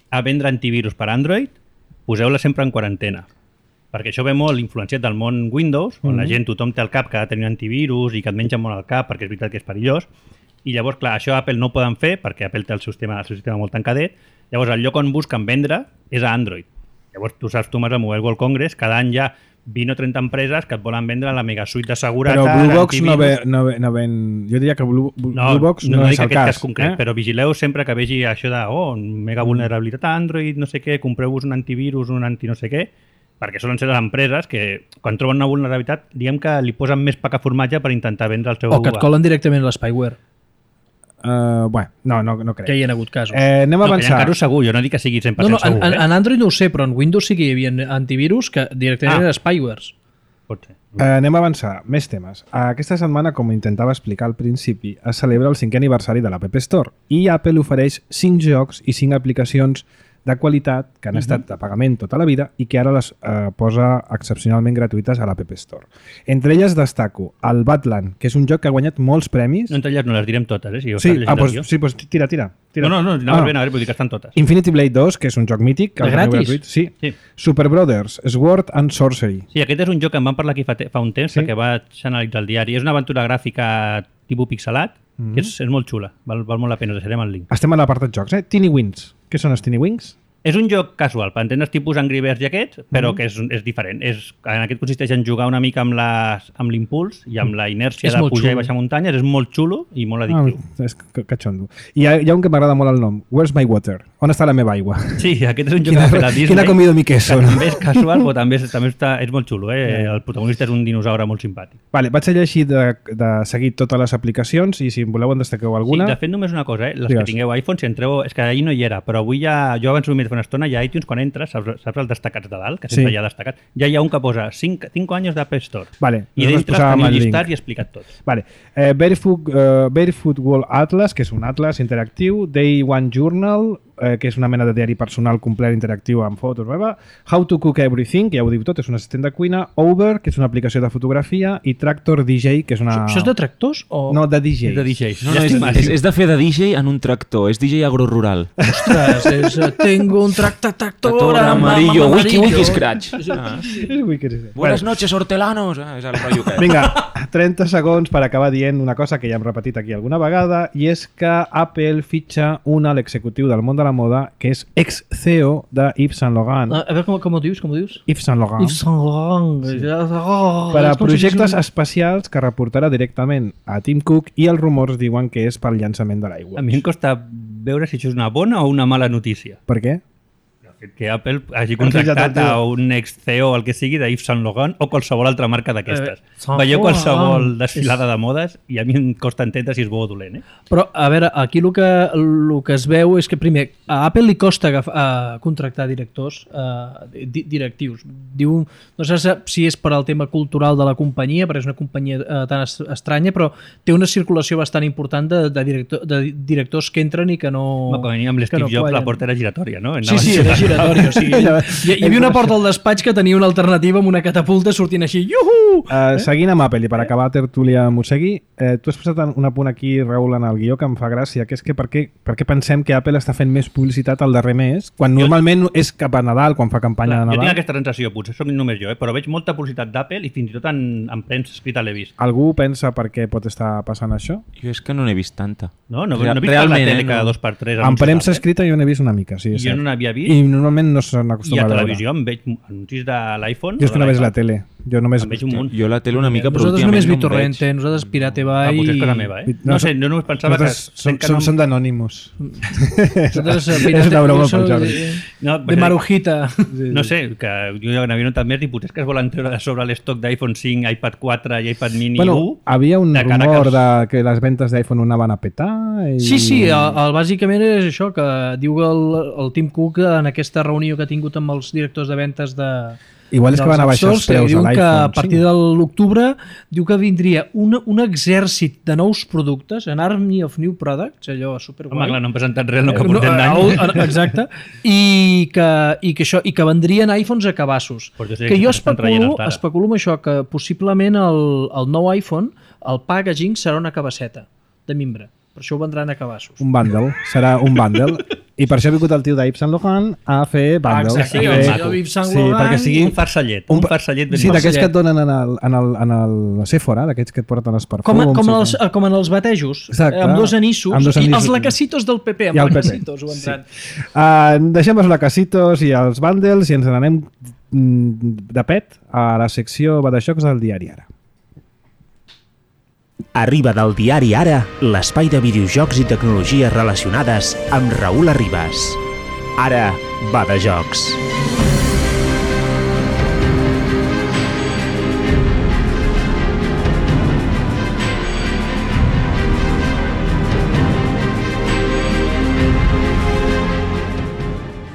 a vendre antivirus per Android, poseu-la sempre en quarantena. Perquè això ve molt influenciat del món Windows, on la gent, tothom té al cap que ha de tenir un antivirus i que et menja molt al cap perquè és veritat que és perillós. I llavors, clar, això Apple no ho poden fer perquè Apple té el seu sistema molt tancadet. Llavors, el lloc on busquen vendre és a Android. Llavors, tu saps, Tomàs, al Mobile World Congress, cada any hi ha 20 o 30 empreses que et volen vendre la mega suite de seguretat. Però Bluebox antivirus. no ven... Jo diria que Bluebox no no és dic el aquest cas. cas concret, però vigileu sempre que vegi això de mega vulnerabilitat a Android, no sé què, compreu-vos un antivirus, un anti no sé què, perquè solen ser les empreses que, quan troben una vulnerabilitat, diguem que li posen més pa que formatge per intentar vendre el seu... O que et colen directament l'spyware, Bueno, no crec. que hi ha hagut casos. Anem a No, que hi ha avançar. casos segur, jo no dic que sigui 100% No, segur, en Android no ho sé, però en Windows sí que hi havia antivirus que directament eren spywares. Pot ser. Anem a avançar. Més temes. Aquesta setmana, com intentava explicar al principi, es celebra el 5è aniversari de l'App Store i Apple ofereix 5 jocs i 5 aplicacions de qualitat que han estat de pagament tota la vida i que ara les posa excepcionalment gratuïtes a l'App Store. Entre elles destaco el Badland, que és un joc que ha guanyat molts premis. No, entre elles no les direm totes, si ho Sí, estàs llegint el guió. pues tira. No, anava bé, vull dir que estan totes. Infinity Blade 2, que és un joc mític. que De el teniu gratis? gratuït. Sí. Sí. Super Brothers, Sword and Sorcery. Sí, aquest és un joc que en vam parlar aquí fa un temps, Sí. perquè vaig analitzar el diari. És una aventura gràfica tipus pixelat, que és molt xula, val molt la pena, us deixarem el link. Estem a l'apartat jocs, Teeny Wings. Què són els Teeny Wings? És un joc casual, per entendre's tipus Angry Birds i aquests, però que és diferent. En aquest consisteix en jugar una mica amb l'impuls i amb la inèrcia És de molt pujar xulo. i baixar muntanyes. És molt xulo i molt addictiu. És catxondo. I hi ha un que m'agrada molt el nom. Where's my water? On està la meva aigua? Sí, aquest és un joc que ha fet a Disney. Quina comido mi queso, que no? també és casual, però també és molt xulo. El protagonista és un dinosaure molt simpàtic. Vale, vaig a llegir de seguir totes les aplicacions i si en voleu en destaqueu alguna. Sí, de fet, només una cosa, les Digues. que tingueu iPhone, si entreu... És que ahir no hi era, però avui ja... Jo abans ho he mirat fa una estona, ja a iTunes, quan entres, saps els destacats de dalt, que sempre Sí. hi ha destacats? Ja hi ha un que posa 5 anys d'App Store. Vale, I nosaltres dintre posàvem teniu el link. llistat i explicat tot. Vale. Barefoot World Atlas, que és un atlas interactiu. Day One Journal, que és una mena de diari personal complet interactiu amb fotos. How to Cook Everything, que ja ho diu tot, és un assistent de cuina. Over, que és una aplicació de fotografia. I Tractor DJ, que és una... Això és de tractors? O... No, de DJ. És de DJs. No, és de fer de DJ en un tractor, és DJ agrorural. Ostres, tengo un tractor amarillo, wiki scratch. És Wicked. Buenas noches, hortelanos. És el rotllo que... Vinga, 30 segons per acabar dient una cosa que ja hem repetit aquí alguna vegada, i és que Apple fitxa un alt executiu del món de la moda que és ex-CEO de Yves Saint Laurent. A veure com ho dius, Yves Saint Laurent. Yves Saint Laurent. Per a projectes especials que reportarà directament a Tim Cook, i els rumors diuen que és pel llançament de l'aigua. A mi em costa veure si això és una bona o una mala notícia. Per què? Que Apple hagi contractat fitxat a un ex-CEO, el que sigui, de Yves Saint Laurent o qualsevol altra marca d'aquestes. Saint Veieu Laurent. qualsevol desfilada de modes i a mi em costa entendre si és bo o dolent. Però, a veure, aquí el que es veu és que, primer, a Apple li costa contractar directors directius. Diu, no sé si és per al tema cultural de la companyia, perquè és una companyia tan estranya, però té una circulació bastant important de directors que entren i que no... Com a mínim amb l'Steve Jobs la porta era giratòria, no? Sí, era giratori. O sigui, hi havia una porta al despatx que tenia una alternativa amb una catapulta sortint així. Iuhu! Seguint amb Apple, i per acabar tertúlia Mossegui, tu has posat un apunt aquí, Raül, en el guió que em fa gràcia, que és que per què pensem que Apple està fent més publicitat al darrer mes, quan normalment és cap a Nadal, quan fa campanya de Jo tinc Nadal? aquesta sensació, potser soc només jo, però veig molta publicitat d'Apple i fins i tot en premsa escrita l'he vist. Algú pensa per què pot estar passant això? Jo és que no n'he vist tanta. No he vist per la tele cada 2x3. En premsa escrita jo n'he vist una mica, sí, és Jo cert. no n'havia vist. I normalment no se I n'acostuma a a veure. televisió em veig anuncis de l'iPhone. Jo és que no veig la tele. Jo només... Em veig un munt. Jo la tele una mica, però Nosaltres últimament només no em BitTorrent, veig. nosaltres Pirate Bay... Potser és cosa meva, eh? No, No sé, jo només pensava que... Nosaltres som d'anònimos. Nosaltres És una broma pel Jordi. De Marujita. No sé, que jo n'havia notat més i potser és que es volen treure de sobre l'estoc d'iPhone 5, iPad 4 i iPad mini 1. Havia un de cara rumor que que les ventes d'iPhone anaven a petar. I... Sí, bàsicament és això, que diu el Tim Cook en aquesta reunió que ha tingut amb els directors de ventes de... Igual és que van a baixar els preus de diu que a l'iPhone. partir de l'octubre diu que vindria un exèrcit de nous productes, an army of new products, allò superguai. Home, clar, no han presentat res el que portem d'any. Exacte. I que vendrien iPhones a cabassos. Però jo sé Que que jo s'estan traient encara. especulo amb això, que possiblement el nou iPhone, el packaging serà una cabasseta de mimbre. Per això ho vendran a cabassos. Un bundle. Serà un bundle. I per això ha vingut el tio d'Yves Saint Laurent a fer bundles. Exacte, sigui el ben senyor maco. Yves Saint Sí, Laurent perquè sigui Un farcellet, un farcellet ben Sí, d'aquests farcellet. que et donen en el Sephora, d'aquests que et porten els perfums. com en els batejos, Exacte. amb dos anissos, Amb dos i anissos. els lacacitos del PP, I amb el PP. lacacitos ho vendran. Deixem els lacasitos i els bundles i ens n'anem de pet a la secció Badajocs del diari Ara. Arriba del diari Ara, l'espai de videojocs i tecnologies relacionades amb Raül Arribas. Ara va de jocs.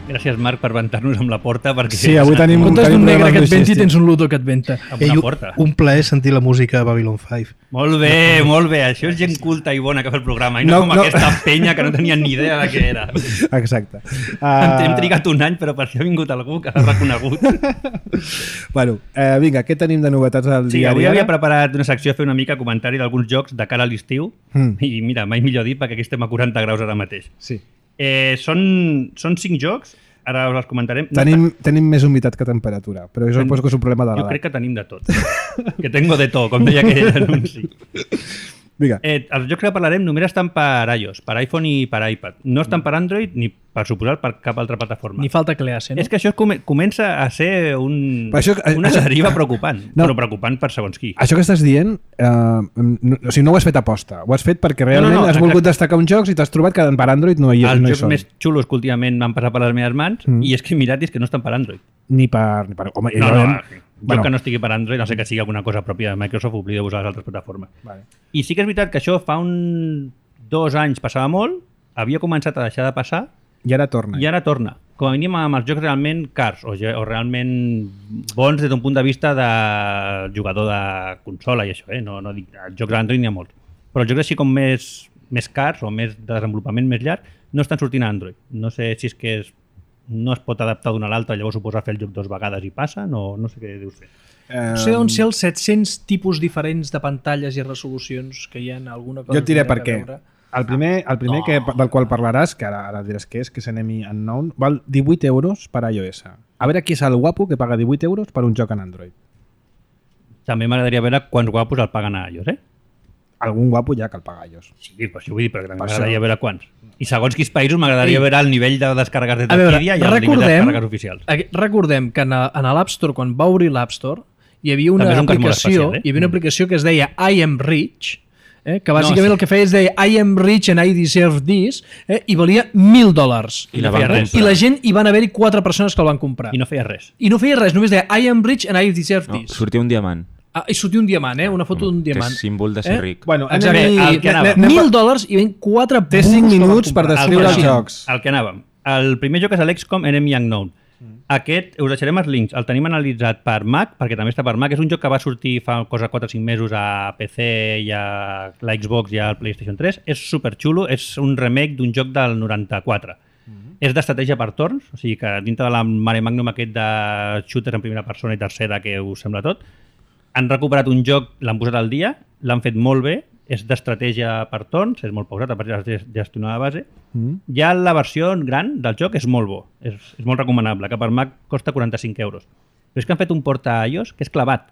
Gràcies, Marc, per ventar-nos amb la porta. Perquè Sí, avui tenim En comptes d'un un negre que et programa venti, logístic. tens un ludo que et venta. Amb una porta. Un plaer sentir la música de Babylon 5. Molt bé, molt bé. Això és gent culta i bona que fa el programa. I no, com aquesta penya que no tenien ni idea de què era. Exacte. Hem trigat un any, però per si ha vingut algú que l'ha reconegut. Bueno, vinga, què tenim de novetats al Sí, diari avui Ara? havia preparat una secció a fer una mica comentari d'alguns jocs de cara a l'estiu. I mira, mai millor dit, perquè aquí estem a 40 graus ara mateix. Sí. Són 5 jocs, ara us els comentarem. No Tenim més humitat que temperatura, però jo suposo que és un problema de Jo l'edat. crec que tenim de tot. Que tengo de tot, com deia aquell anunci. Vinga. Els jocs que parlarem només estan per iOS, per iPhone i per iPad. No estan per Android ni per suposar per cap altra plataforma. Ni falta que l'hace, no? És que això comença a ser una deriva preocupant, No. però preocupant per segons qui. Això que estàs dient, o sigui, no ho has fet aposta. Ho has fet perquè realment no, has volgut exacte. destacar uns jocs i t'has trobat que per Android no hi Els no hi jocs són. més xulos que últimament m'han passat per les meves mans i és que he mirat i és que no estan per Android. Ni per... Home, No, realment- joc que no estigui per Android, no sé que sigui alguna cosa pròpia de Microsoft, oblideu-vos de les altres plataformes. Vale. I sí que és veritat que això fa 2 anys passava molt, havia començat a deixar de passar I ara torna. i ara torna. Com a mínim amb els jocs realment cars o realment bons des d'un punt de vista de jugador de consola i això, no dic, els jocs d'Android n'hi ha molts. Però els jocs així com més cars o més de desenvolupament més llarg no estan sortint a Android. No sé si és que no es pot adaptar d'una a l'altra, llavors suposa fer el joc 2 vegades i passa, no sé què deus fer. No sé on ser els 700 tipus diferents de pantalles i resolucions que hi ha alguna cosa... Jo et diré que per tindrà què. que veure. El primer del qual parlaràs, que ara diràs que és Enemy Unknown, val 18 euros per iOS. A veure qui és el guapo que paga 18 euros per un joc en Android. També m'agradaria veure quants guapos el paguen a iOS, Algun guapo ja que el paga iOS. Sí, per això vull dir, però també Per m'agradaria això. veure quants. I segons quins països m'agradaria Ei. veure el nivell de descàrregues de A veure, Orquídea i el nivell de descàrregues oficials. recordem que en l'App Store, quan va obrir l'App Store, hi havia una També és un cas molt aplicació, especial, hi havia una aplicació que es deia I am rich, que bàsicament sí. el que feia és deia I am rich and I deserve this, i valia $1.000. I la no van feia res. I la gent, hi van haver-hi 4 persones que el van comprar. I no feia res. I no feia res, només deia I am rich and I deserve No, this. sortia un diamant. I sortia un diamant, una foto d'un Que diamant. és símbol de ser ric. Bueno, Exacte. Bé, el que anava. $1.000 i ven 4 Té 5 minuts per descriure els jocs. El que anàvem. El primer joc és l'XCOM Enemy Unknown. Aquest, us deixarem els links, el tenim analitzat per Mac, perquè també està per Mac. És un joc que va sortir fa cosa 4 o 5 mesos a PC i a la Xbox i al PlayStation 3. És superxulo, és un remake d'un joc del 94. És d'estratègia per torns, o sigui que dintre de la mare magnum aquest de shooters en primera persona i tercera que us sembla tot, han recuperat un joc, l'han posat al dia, l'han fet molt bé, és d'estratègia per torns, és molt pausat, a partir de gestionar la base. Ja la versió gran del joc és molt bo, és molt recomanable, que per Mac costa 45 euros. Però és que han fet un port a iOS que és clavat.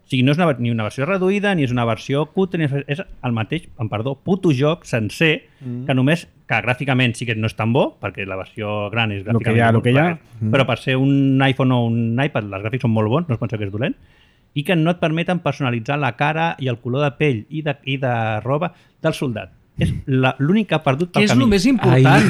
O sigui, no és ni una versió reduïda, ni és una versió cutre, és el mateix, puto joc sencer, que només, que gràficament sí que no és tan bo, perquè la versió gran és gràficament que hi ha. però per ser un iPhone o un iPad, els gràfics són molt bons, no es penseu que és dolent, i que no et permeten personalitzar la cara i el color de pell i de roba del soldat. És l'únic que ha perdut pel Que és camí. el més important.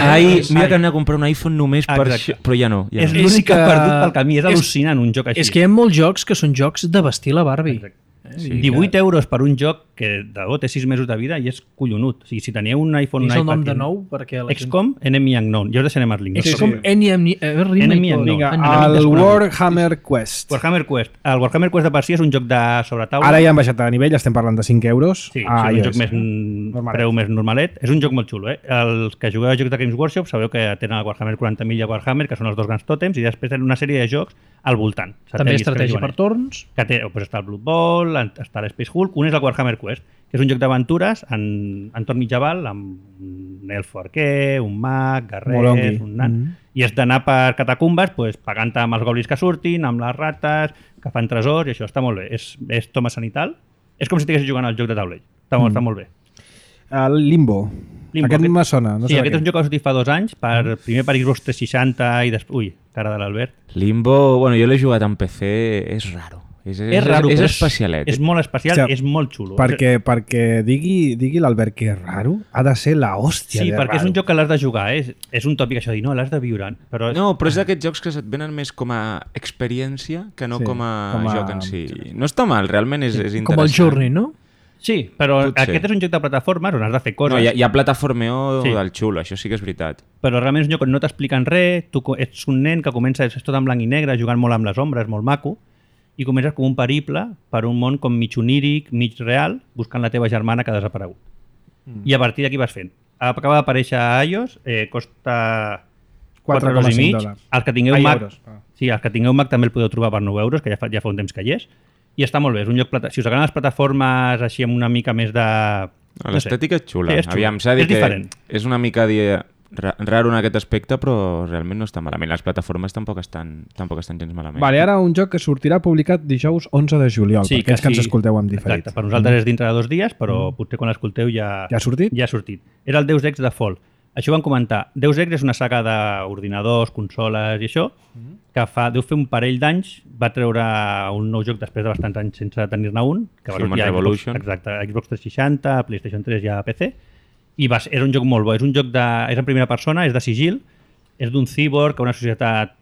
Mira que anar a comprar un iPhone només per Exacte. això, però ja no. Ja És no. l'únic que ha que- perdut pel camí. És és- al·lucinant un joc així. És que hi ha molts jocs que són jocs de vestir la Barbie. Exacte. 18 euros per un joc que de debò té 6 mesos de vida i és collonut. O sigui, si teniu un iPhone, un És el iPad... nom de nou? Perquè la gent... XCOM Enemy Unknown. Ja us deixarem els links. És com Enemy Enemy Unknown. Vinga, Enemy el desconegut. Warhammer Quest. Warhammer Quest. El Warhammer Quest de per si és un joc de sobretaula. Ara ja han baixat de nivell, estem parlant de 5 euros. Sí, a és un iOS. joc més Normalet. preu més normalet. És un joc molt xulo, Els que jugueu a jocs de Games Workshop sabeu que tenen el Warhammer 40.000 i el Warhammer, que són els dos grans tòtems, i després tenen una sèrie de jocs al voltant. També Satèl·lits que estratègia diuen per ells. torns. Que té, doncs està el Blood Bowl, està l'Space Hulk, un és el Warhammer Quest, que és un joc d'aventures en entorn mitjaval, amb un elfo arquer, un mag, Molongui. guerrers, un nan... I és d'anar per catacumbes pues, pagant amb els goblins que surtin, amb les rates, que fan tresors, i això està molt bé. És toma sanital. És com si estiguessis jugant al joc de taulell. Està molt bé. El Limbo. Aquest me sona. No sí, sé aquest és un joc que va sortir fa 2 anys, primer per Xbox 360 i després... Ui, cara de l'Albert. Limbo, bueno, jo l'he jugat en PC, és raro. És raro, és però especialet. És molt especial, Hòstia, és molt xulo. Perquè digui l'Albert que és raro, ha de ser la hòstia Sí, de perquè és raro. un joc que l'has de jugar, és un tòpic això de dir, no, l'has de viure. Però No, però és d'aquests jocs que se't venen més com a experiència que no Sí, com a com a- joc en si. No està mal, realment és interessant. Com el Journey, no? Sí, però Potser. aquest és un joc de plataformes on has de fer coses, No, hi ha plataformeo Sí. del xulo, això sí que és veritat. però realment és un joc on no t'expliquen res, tu ets un nen que comença, és tot en blanc i negre, jugant molt amb les ombres, molt maco, i comences com un periple per un món com mig oníric, mig real, buscant la teva germana que ha desaparegut. I a partir d'aquí vas fent. Acaba d'aparèixer a iOS, costa 4,5 €. Els que tingueu Mac, sí, els que tingueu Mac també el podeu trobar per 9 euros, que ja fa un temps que hi és. I està molt bé, és un joc si us agraden les plataformes així amb una mica més de... L'estètica és xula. Sí, és xula. Aviam, s'ha de És dir que diferent. és una mica raro en aquest aspecte, però realment no està malament. Les plataformes tampoc estan gens malament. Vale, ara un joc que sortirà publicat dijous 11 de juliol, Sí, per aquells que ens escolteu en diferit. Exacte, per nosaltres és dintre de 2 dies, però potser quan l'escolteu ja... Ja ha sortit? Ja ha sortit. Era el Deus Ex The Fall. Això ho van comentar. Deus Ex és una saga d'ordinadors, consoles i això, que deu fer un parell d'anys, va treure un nou joc després de bastants anys sense tenir-ne un, que va Human sortir a Revolution. Xbox, exacte, a Xbox 360, a PlayStation 3 i a PC, i era un joc molt bo. És un joc és en primera persona, és de sigil, és d'un cyborg a una societat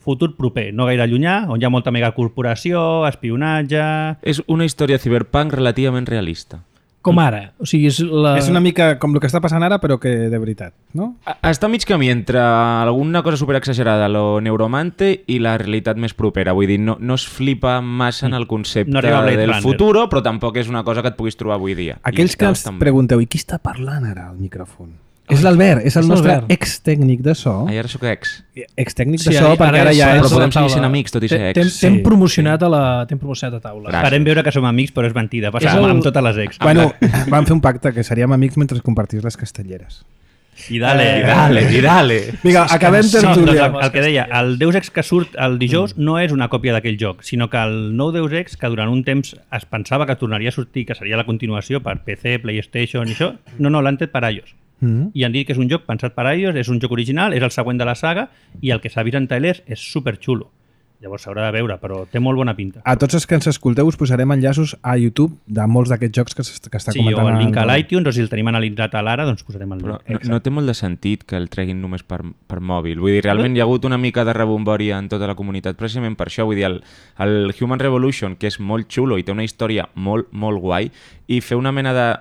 futur proper, no gaire llunyà, on hi ha molta megacorporació, espionatge... És una història cyberpunk relativament realista. Com ara. O sigui, és És una mica com el que està passant ara, però que de veritat, no? Està mig camí entre alguna cosa superexagerada, lo neuromante, i la realitat més propera. Vull dir, no es flipa massa en el concepte No arriba a Blade del Runner. futuro, però tampoc és una cosa que et puguis trobar avui dia. Aquells I que està ens bastant bé. pregunteu, i qui està parlant ara al micròfon? És l'Albert, és el és nostre l'Albert. ex-tècnic de so. Ai, ara sóc ex. Ex-tècnic Sí, de so, perquè ara ja és- és... Però podem a seguir taula. sent amics, tot i ser ex. T'hem promocionat t'hem promocionat a taula. Gràcies. Farem veure que som amics, però és mentida. Passa És el- amb totes les ex. Bueno, vam fer un pacte que seríem amics mentre compartís les castelleres. I dale. I dale. Vinga, acabem No, tertúlia. doncs el que deia, el Deus Ex que surt el dijous no és una còpia d'aquell joc, sinó que el nou Deus Ex, que durant un temps es pensava que tornaria a sortir, que seria la continuació per PC, PlayStation i això, no, l'han tret per iOS. I han dit que és un joc pensat per iOS, és un joc original, és el següent de la saga, i el que s'ha vist en trailers és superxulo. Llavors s'haurà de veure, però té molt bona pinta. A tots els que ens escolteu us posarem enllaços a YouTube de molts d'aquests jocs que està Sí, comentant. o el link a el- l'iTunes, o si el tenim analitzat a l'ara, doncs posarem el Però link. no té molt de sentit que el treguin només per mòbil. Vull dir, realment hi ha hagut una mica de rebombòria en tota la comunitat precisament per això. Vull dir, el Human Revolution, que és molt xulo i té una història molt, molt guai, i fer una mena de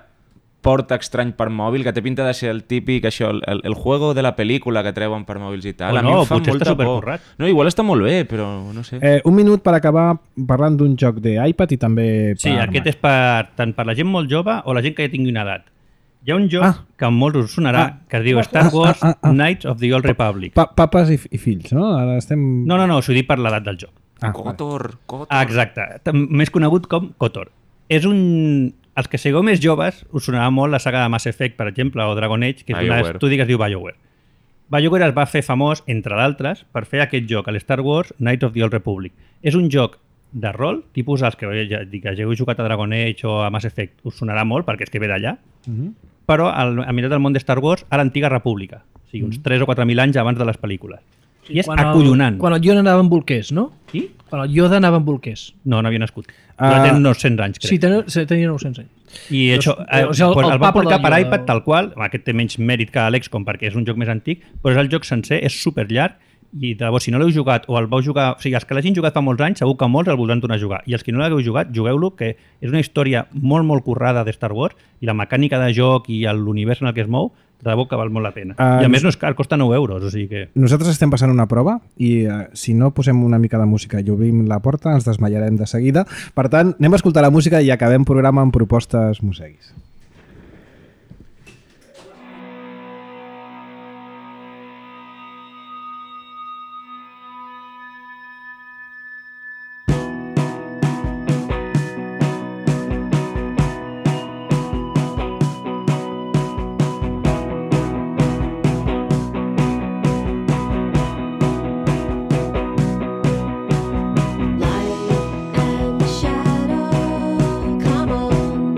port estrany per mòbil, que té pinta de ser el típic, això, el juego de la pel·lícula que treuen per mòbils i tal. O A mi no, em fa potser està molta por. supercurrat. No, igual està molt bé, però no sé. Un minut per acabar parlant d'un joc d'iPad i també Sí, per aquest Mac. és tant per la gent molt jove o la gent que ja tingui una edat. Hi ha un joc que a molts us sonarà, que es diu Star Wars Knights of the Old Republic. Papes i fills, no? Ara estem... No, s'ho dic per l'edat del joc. Kotor. Exacte, més conegut com KOTOR. És un... Els que sigueu més joves us sonarà molt la saga de Mass Effect, per exemple, o Dragon Age, que és un BioWare. estudi que es diu BioWare. BioWare es va fer famós, entre d'altres, per fer aquest joc, l'Star Wars Knights of the Old Republic. És un joc de rol, tipus els que hàgiu jugat a Dragon Age o a Mass Effect, us sonarà molt, perquè és que ve d'allà, però a mirat del món de Star Wars a l'antiga república, o sigui, uns 3 o 4.000 anys abans de les pel·lícules. I és acollonant. Quan el Yoda anava amb bolquers, no? Qui? Quan el Yoda anava amb bolquers. No havia nascut. Però tenen uns 100 anys, crec. Sí, tenia 900 anys. I això, o sigui, pues el el va papa portar del per Yoda. iPad tal qual, aquest té menys mèrit que l'XCOM perquè és un joc més antic, però és el joc sencer, és super llarg i de bo, si no l'heu jugat o el vau jugar, o sigui, els que l'hagin jugat fa molts anys, segur que molts el voldran tornar a jugar, i els que no l'hagueu jugat, jugueu-lo, que és una història molt, molt currada de Star Wars, i la mecànica de joc i l'univers en el que es mou, de debò que val molt la pena. I a més no és car, costa 9 euros, o sigui que... Nosaltres estem passant una prova i si no posem una mica de música i obrim la porta ens desmallarem de seguida. Per tant, anem a escoltar la música i acabem programa amb propostes museguis. Light and shadow, come on.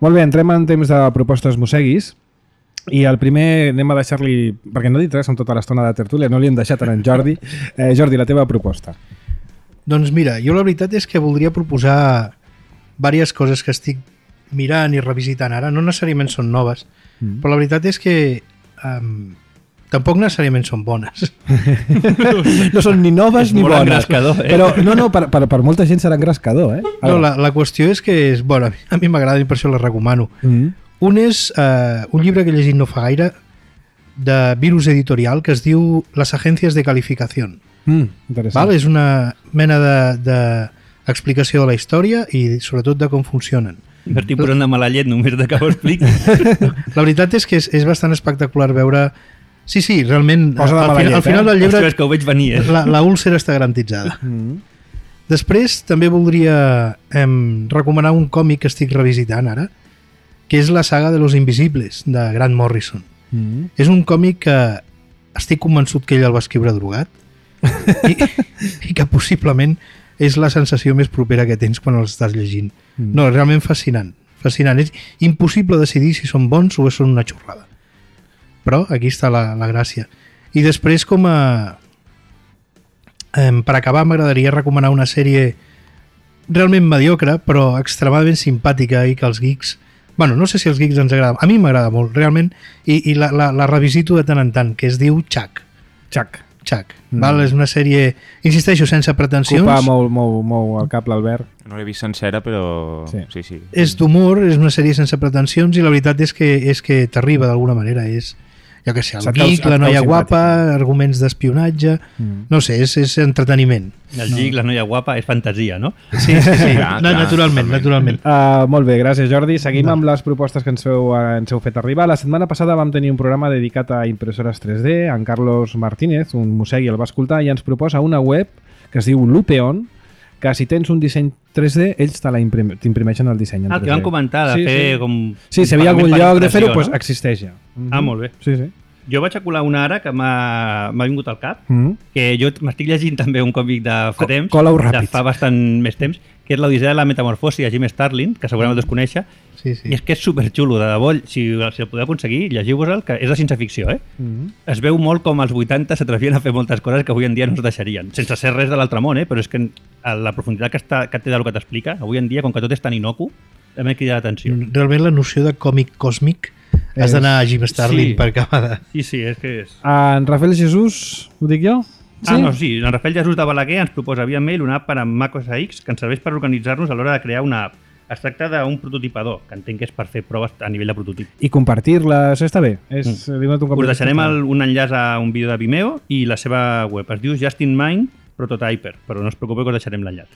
Molt bé, entrem en temps de propostes mosseguis. I el primer anem a deixar-li, perquè no he dit res amb tota l'estona de tertúlia, no li hem deixat en Jordi. Jordi, la teva proposta. Doncs mira, jo la veritat és que voldria proposar diverses coses que estic mirant i revisitant ara. No necessàriament són noves, però la veritat és que tampoc necessàriament són bones. No són ni noves ni molt bones. engrescador, Però no, per molta gent serà engrescador, eh? No, la qüestió és que bueno, a mi m'agrada i per això la recomano. Un és un llibre que he llegit no fa gaire de Virus Editorial que es diu Las Agencias de Calificación. Interessant. Val? És una mena d'explicació de la història i sobretot de com funcionen. M'estic posant de mala llet només de que ho expliqui. La veritat és que és bastant espectacular veure... Sí, realment, Posa de mala llet, al final del llibre Ostres, que ho veig venir, la úlcera està garantitzada. Després també voldria recomanar un còmic que estic revisitant ara, que és la saga de Los Invisibles, de Grant Morrison. És un còmic que estic convençut que ell el va escriure drogat i que possiblement és la sensació més propera que tens quan els estàs llegint. No, realment fascinant. Fascinant. És impossible decidir si són bons o són una xorrada. Però aquí està la gràcia. I després, per acabar, m'agradaria recomanar una sèrie realment mediocre, però extremadament simpàtica i que els geeks... Bueno, no sé si els geeks ens agrada. A mi m'agrada molt, realment, i la revisito de tant en tant, que es diu Chuck. Chuck. Val? És una sèrie, insisteixo, sense pretensions. Ocupa molt el cap l'Albert. No l'he vist sencera, però... Sí. És d'humor, és una sèrie sense pretensions i la veritat és que t'arriba d'alguna manera. És, jo què sé, el geek, la noia guapa, arguments d'espionatge... No sé, és entreteniment. El geek, la noia guapa, és fantasia, no? Sí. Naturalment. Molt bé, gràcies Jordi. Seguim amb les propostes que ens heu fet arribar. La setmana passada vam tenir un programa dedicat a impressores 3D. En Carlos Martínez, un mossegui, el va escoltar i ens proposa una web que es diu Lupeon, que si tens un disseny 3D, ells t'imprimeixen el disseny en 3D. El que vam comentar, de fer com... Sí, si hi havia algun lloc de fer-ho, doncs existeix ja. Molt bé. Sí. Jo vaig acular una ara que m'ha vingut al cap, que jo m'estic llegint també un còmic de fa temps, de fa bastant més temps, que és l'Odissea de la Metamorfosi de Jim Starlin, que segurament el desconèixer, i és que és superxulo, de debò, si el podeu aconseguir, llegiu-vos-el, que és de ciència-ficció, Es veu molt com als 80 s'atrevien a fer moltes coses que avui en dia no es deixarien, sense ser res de l'altre món, però és que la profunditat que té del que t'explica, avui en dia, com que tot és tan inocu, també crida l'atenció. Realment la noció de còmic còsmic has d'anar a Jim Starlin per acabar de... Sí, és que és... En Rafael Jesús, ho dic jo? Sí, en Rafael Jesús de Balaguer ens proposa via mail una app per a macOS X que ens serveix per organitzar-nos a l'hora de crear una app. Es tracta d'un prototipador, que entenc que és per fer proves a nivell de prototip. I compartir-les, està bé. Us deixarem un enllaç a un vídeo de Vimeo i la seva web. Es diu Just in Mind Prototyper, però no us preocupeu que us deixarem l'enllaç.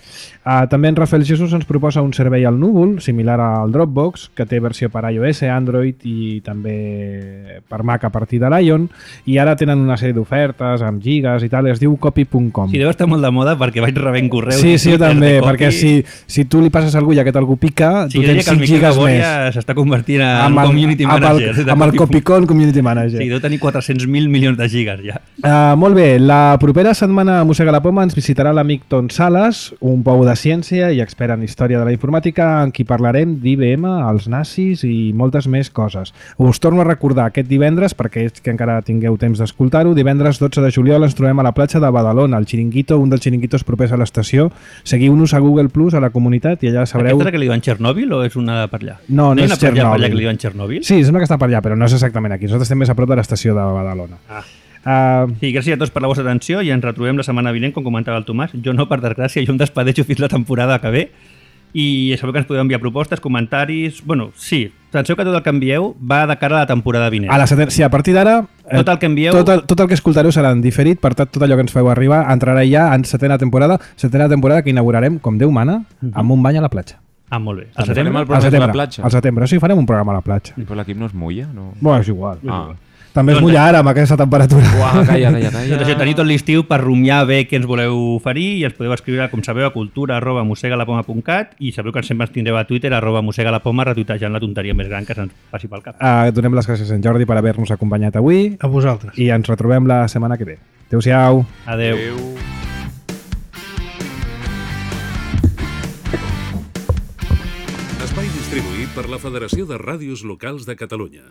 També en Rafael Jesús ens proposa un servei al núvol, similar al Dropbox, que té versió per iOS, Android i també per Mac a partir de l'Ion, i ara tenen una sèrie d'ofertes amb gigas i tal, es diu copy.com. Sí, deu estar molt de moda perquè vaig rebent correus. Sí, jo també, perquè si tu li passes a algú i aquest algú pica, tu tens 5 gigas més. S'està convertint en community manager. Amb el Copycon Community Manager. Sí, deu tenir 400.000 milions de gigas ja. Molt bé, la propera setmana a Mossega la Poma ens visitarà l'amic Ton Sales, un pou de ciència i expert en història de la informàtica, en qui parlarem d'IBM, els nazis i moltes més coses. Us torno a recordar aquest divendres, perquè és que encara tingueu temps d'escoltar-ho, divendres 12 de juliol ens trobem a la platja de Badalona, al Chiringuito, un dels xiringuitos propers a l'estació. Seguiu-nos a Google Plus, a la comunitat, i allà sabreu... Aquesta que li diuen Txernòbil o és una per allà? No és Txernòbil. Per allà que li diuen Txernòbil? Sí, sembla que està per allà, però no és exactament aquí. Nosaltres estem més a prop de l'estació de Badalona. Sí, gràcies a tots per la vostra atenció i ens retrobem la setmana vinent, com comentava el Tomàs. Jo no, per desgràcia, jo em despedeixo fins la temporada que ve i sabeu que ens podeu enviar propostes, comentaris... Bueno, sí, penseu que tot el que envieu va de cara a la temporada vinent. Sí, a partir d'ara... Tot el que envieu... Tot el que escoltareu serà en diferit, per tant, tot allò que ens feu arribar entrarà ja en setena temporada que inaugurarem, com Déu mana, amb un bany a la platja. Molt bé. Al setembre? Al setembre, sí, farem un programa a la platja. I l'equip no es mulla? No? Bueno, és igual. També es mulla ara amb aquesta temperatura. Calla. Doncs això, teniu tot l'estiu per rumiar bé què ens voleu oferir i ens podeu escriure, com sabeu, a cultura@mossegalapoma.cat i sabeu que sempre ens tindreu a Twitter @mossegalapoma retuitejant la tonteria més gran que se'ns passi pel cap. Donem les gràcies a en Jordi per haver-nos acompanyat avui. A vosaltres. I ens retrobem la setmana que ve. Adéu-siau. Adéu. Espai distribuït per la Federació de Ràdios Locals de Catalunya.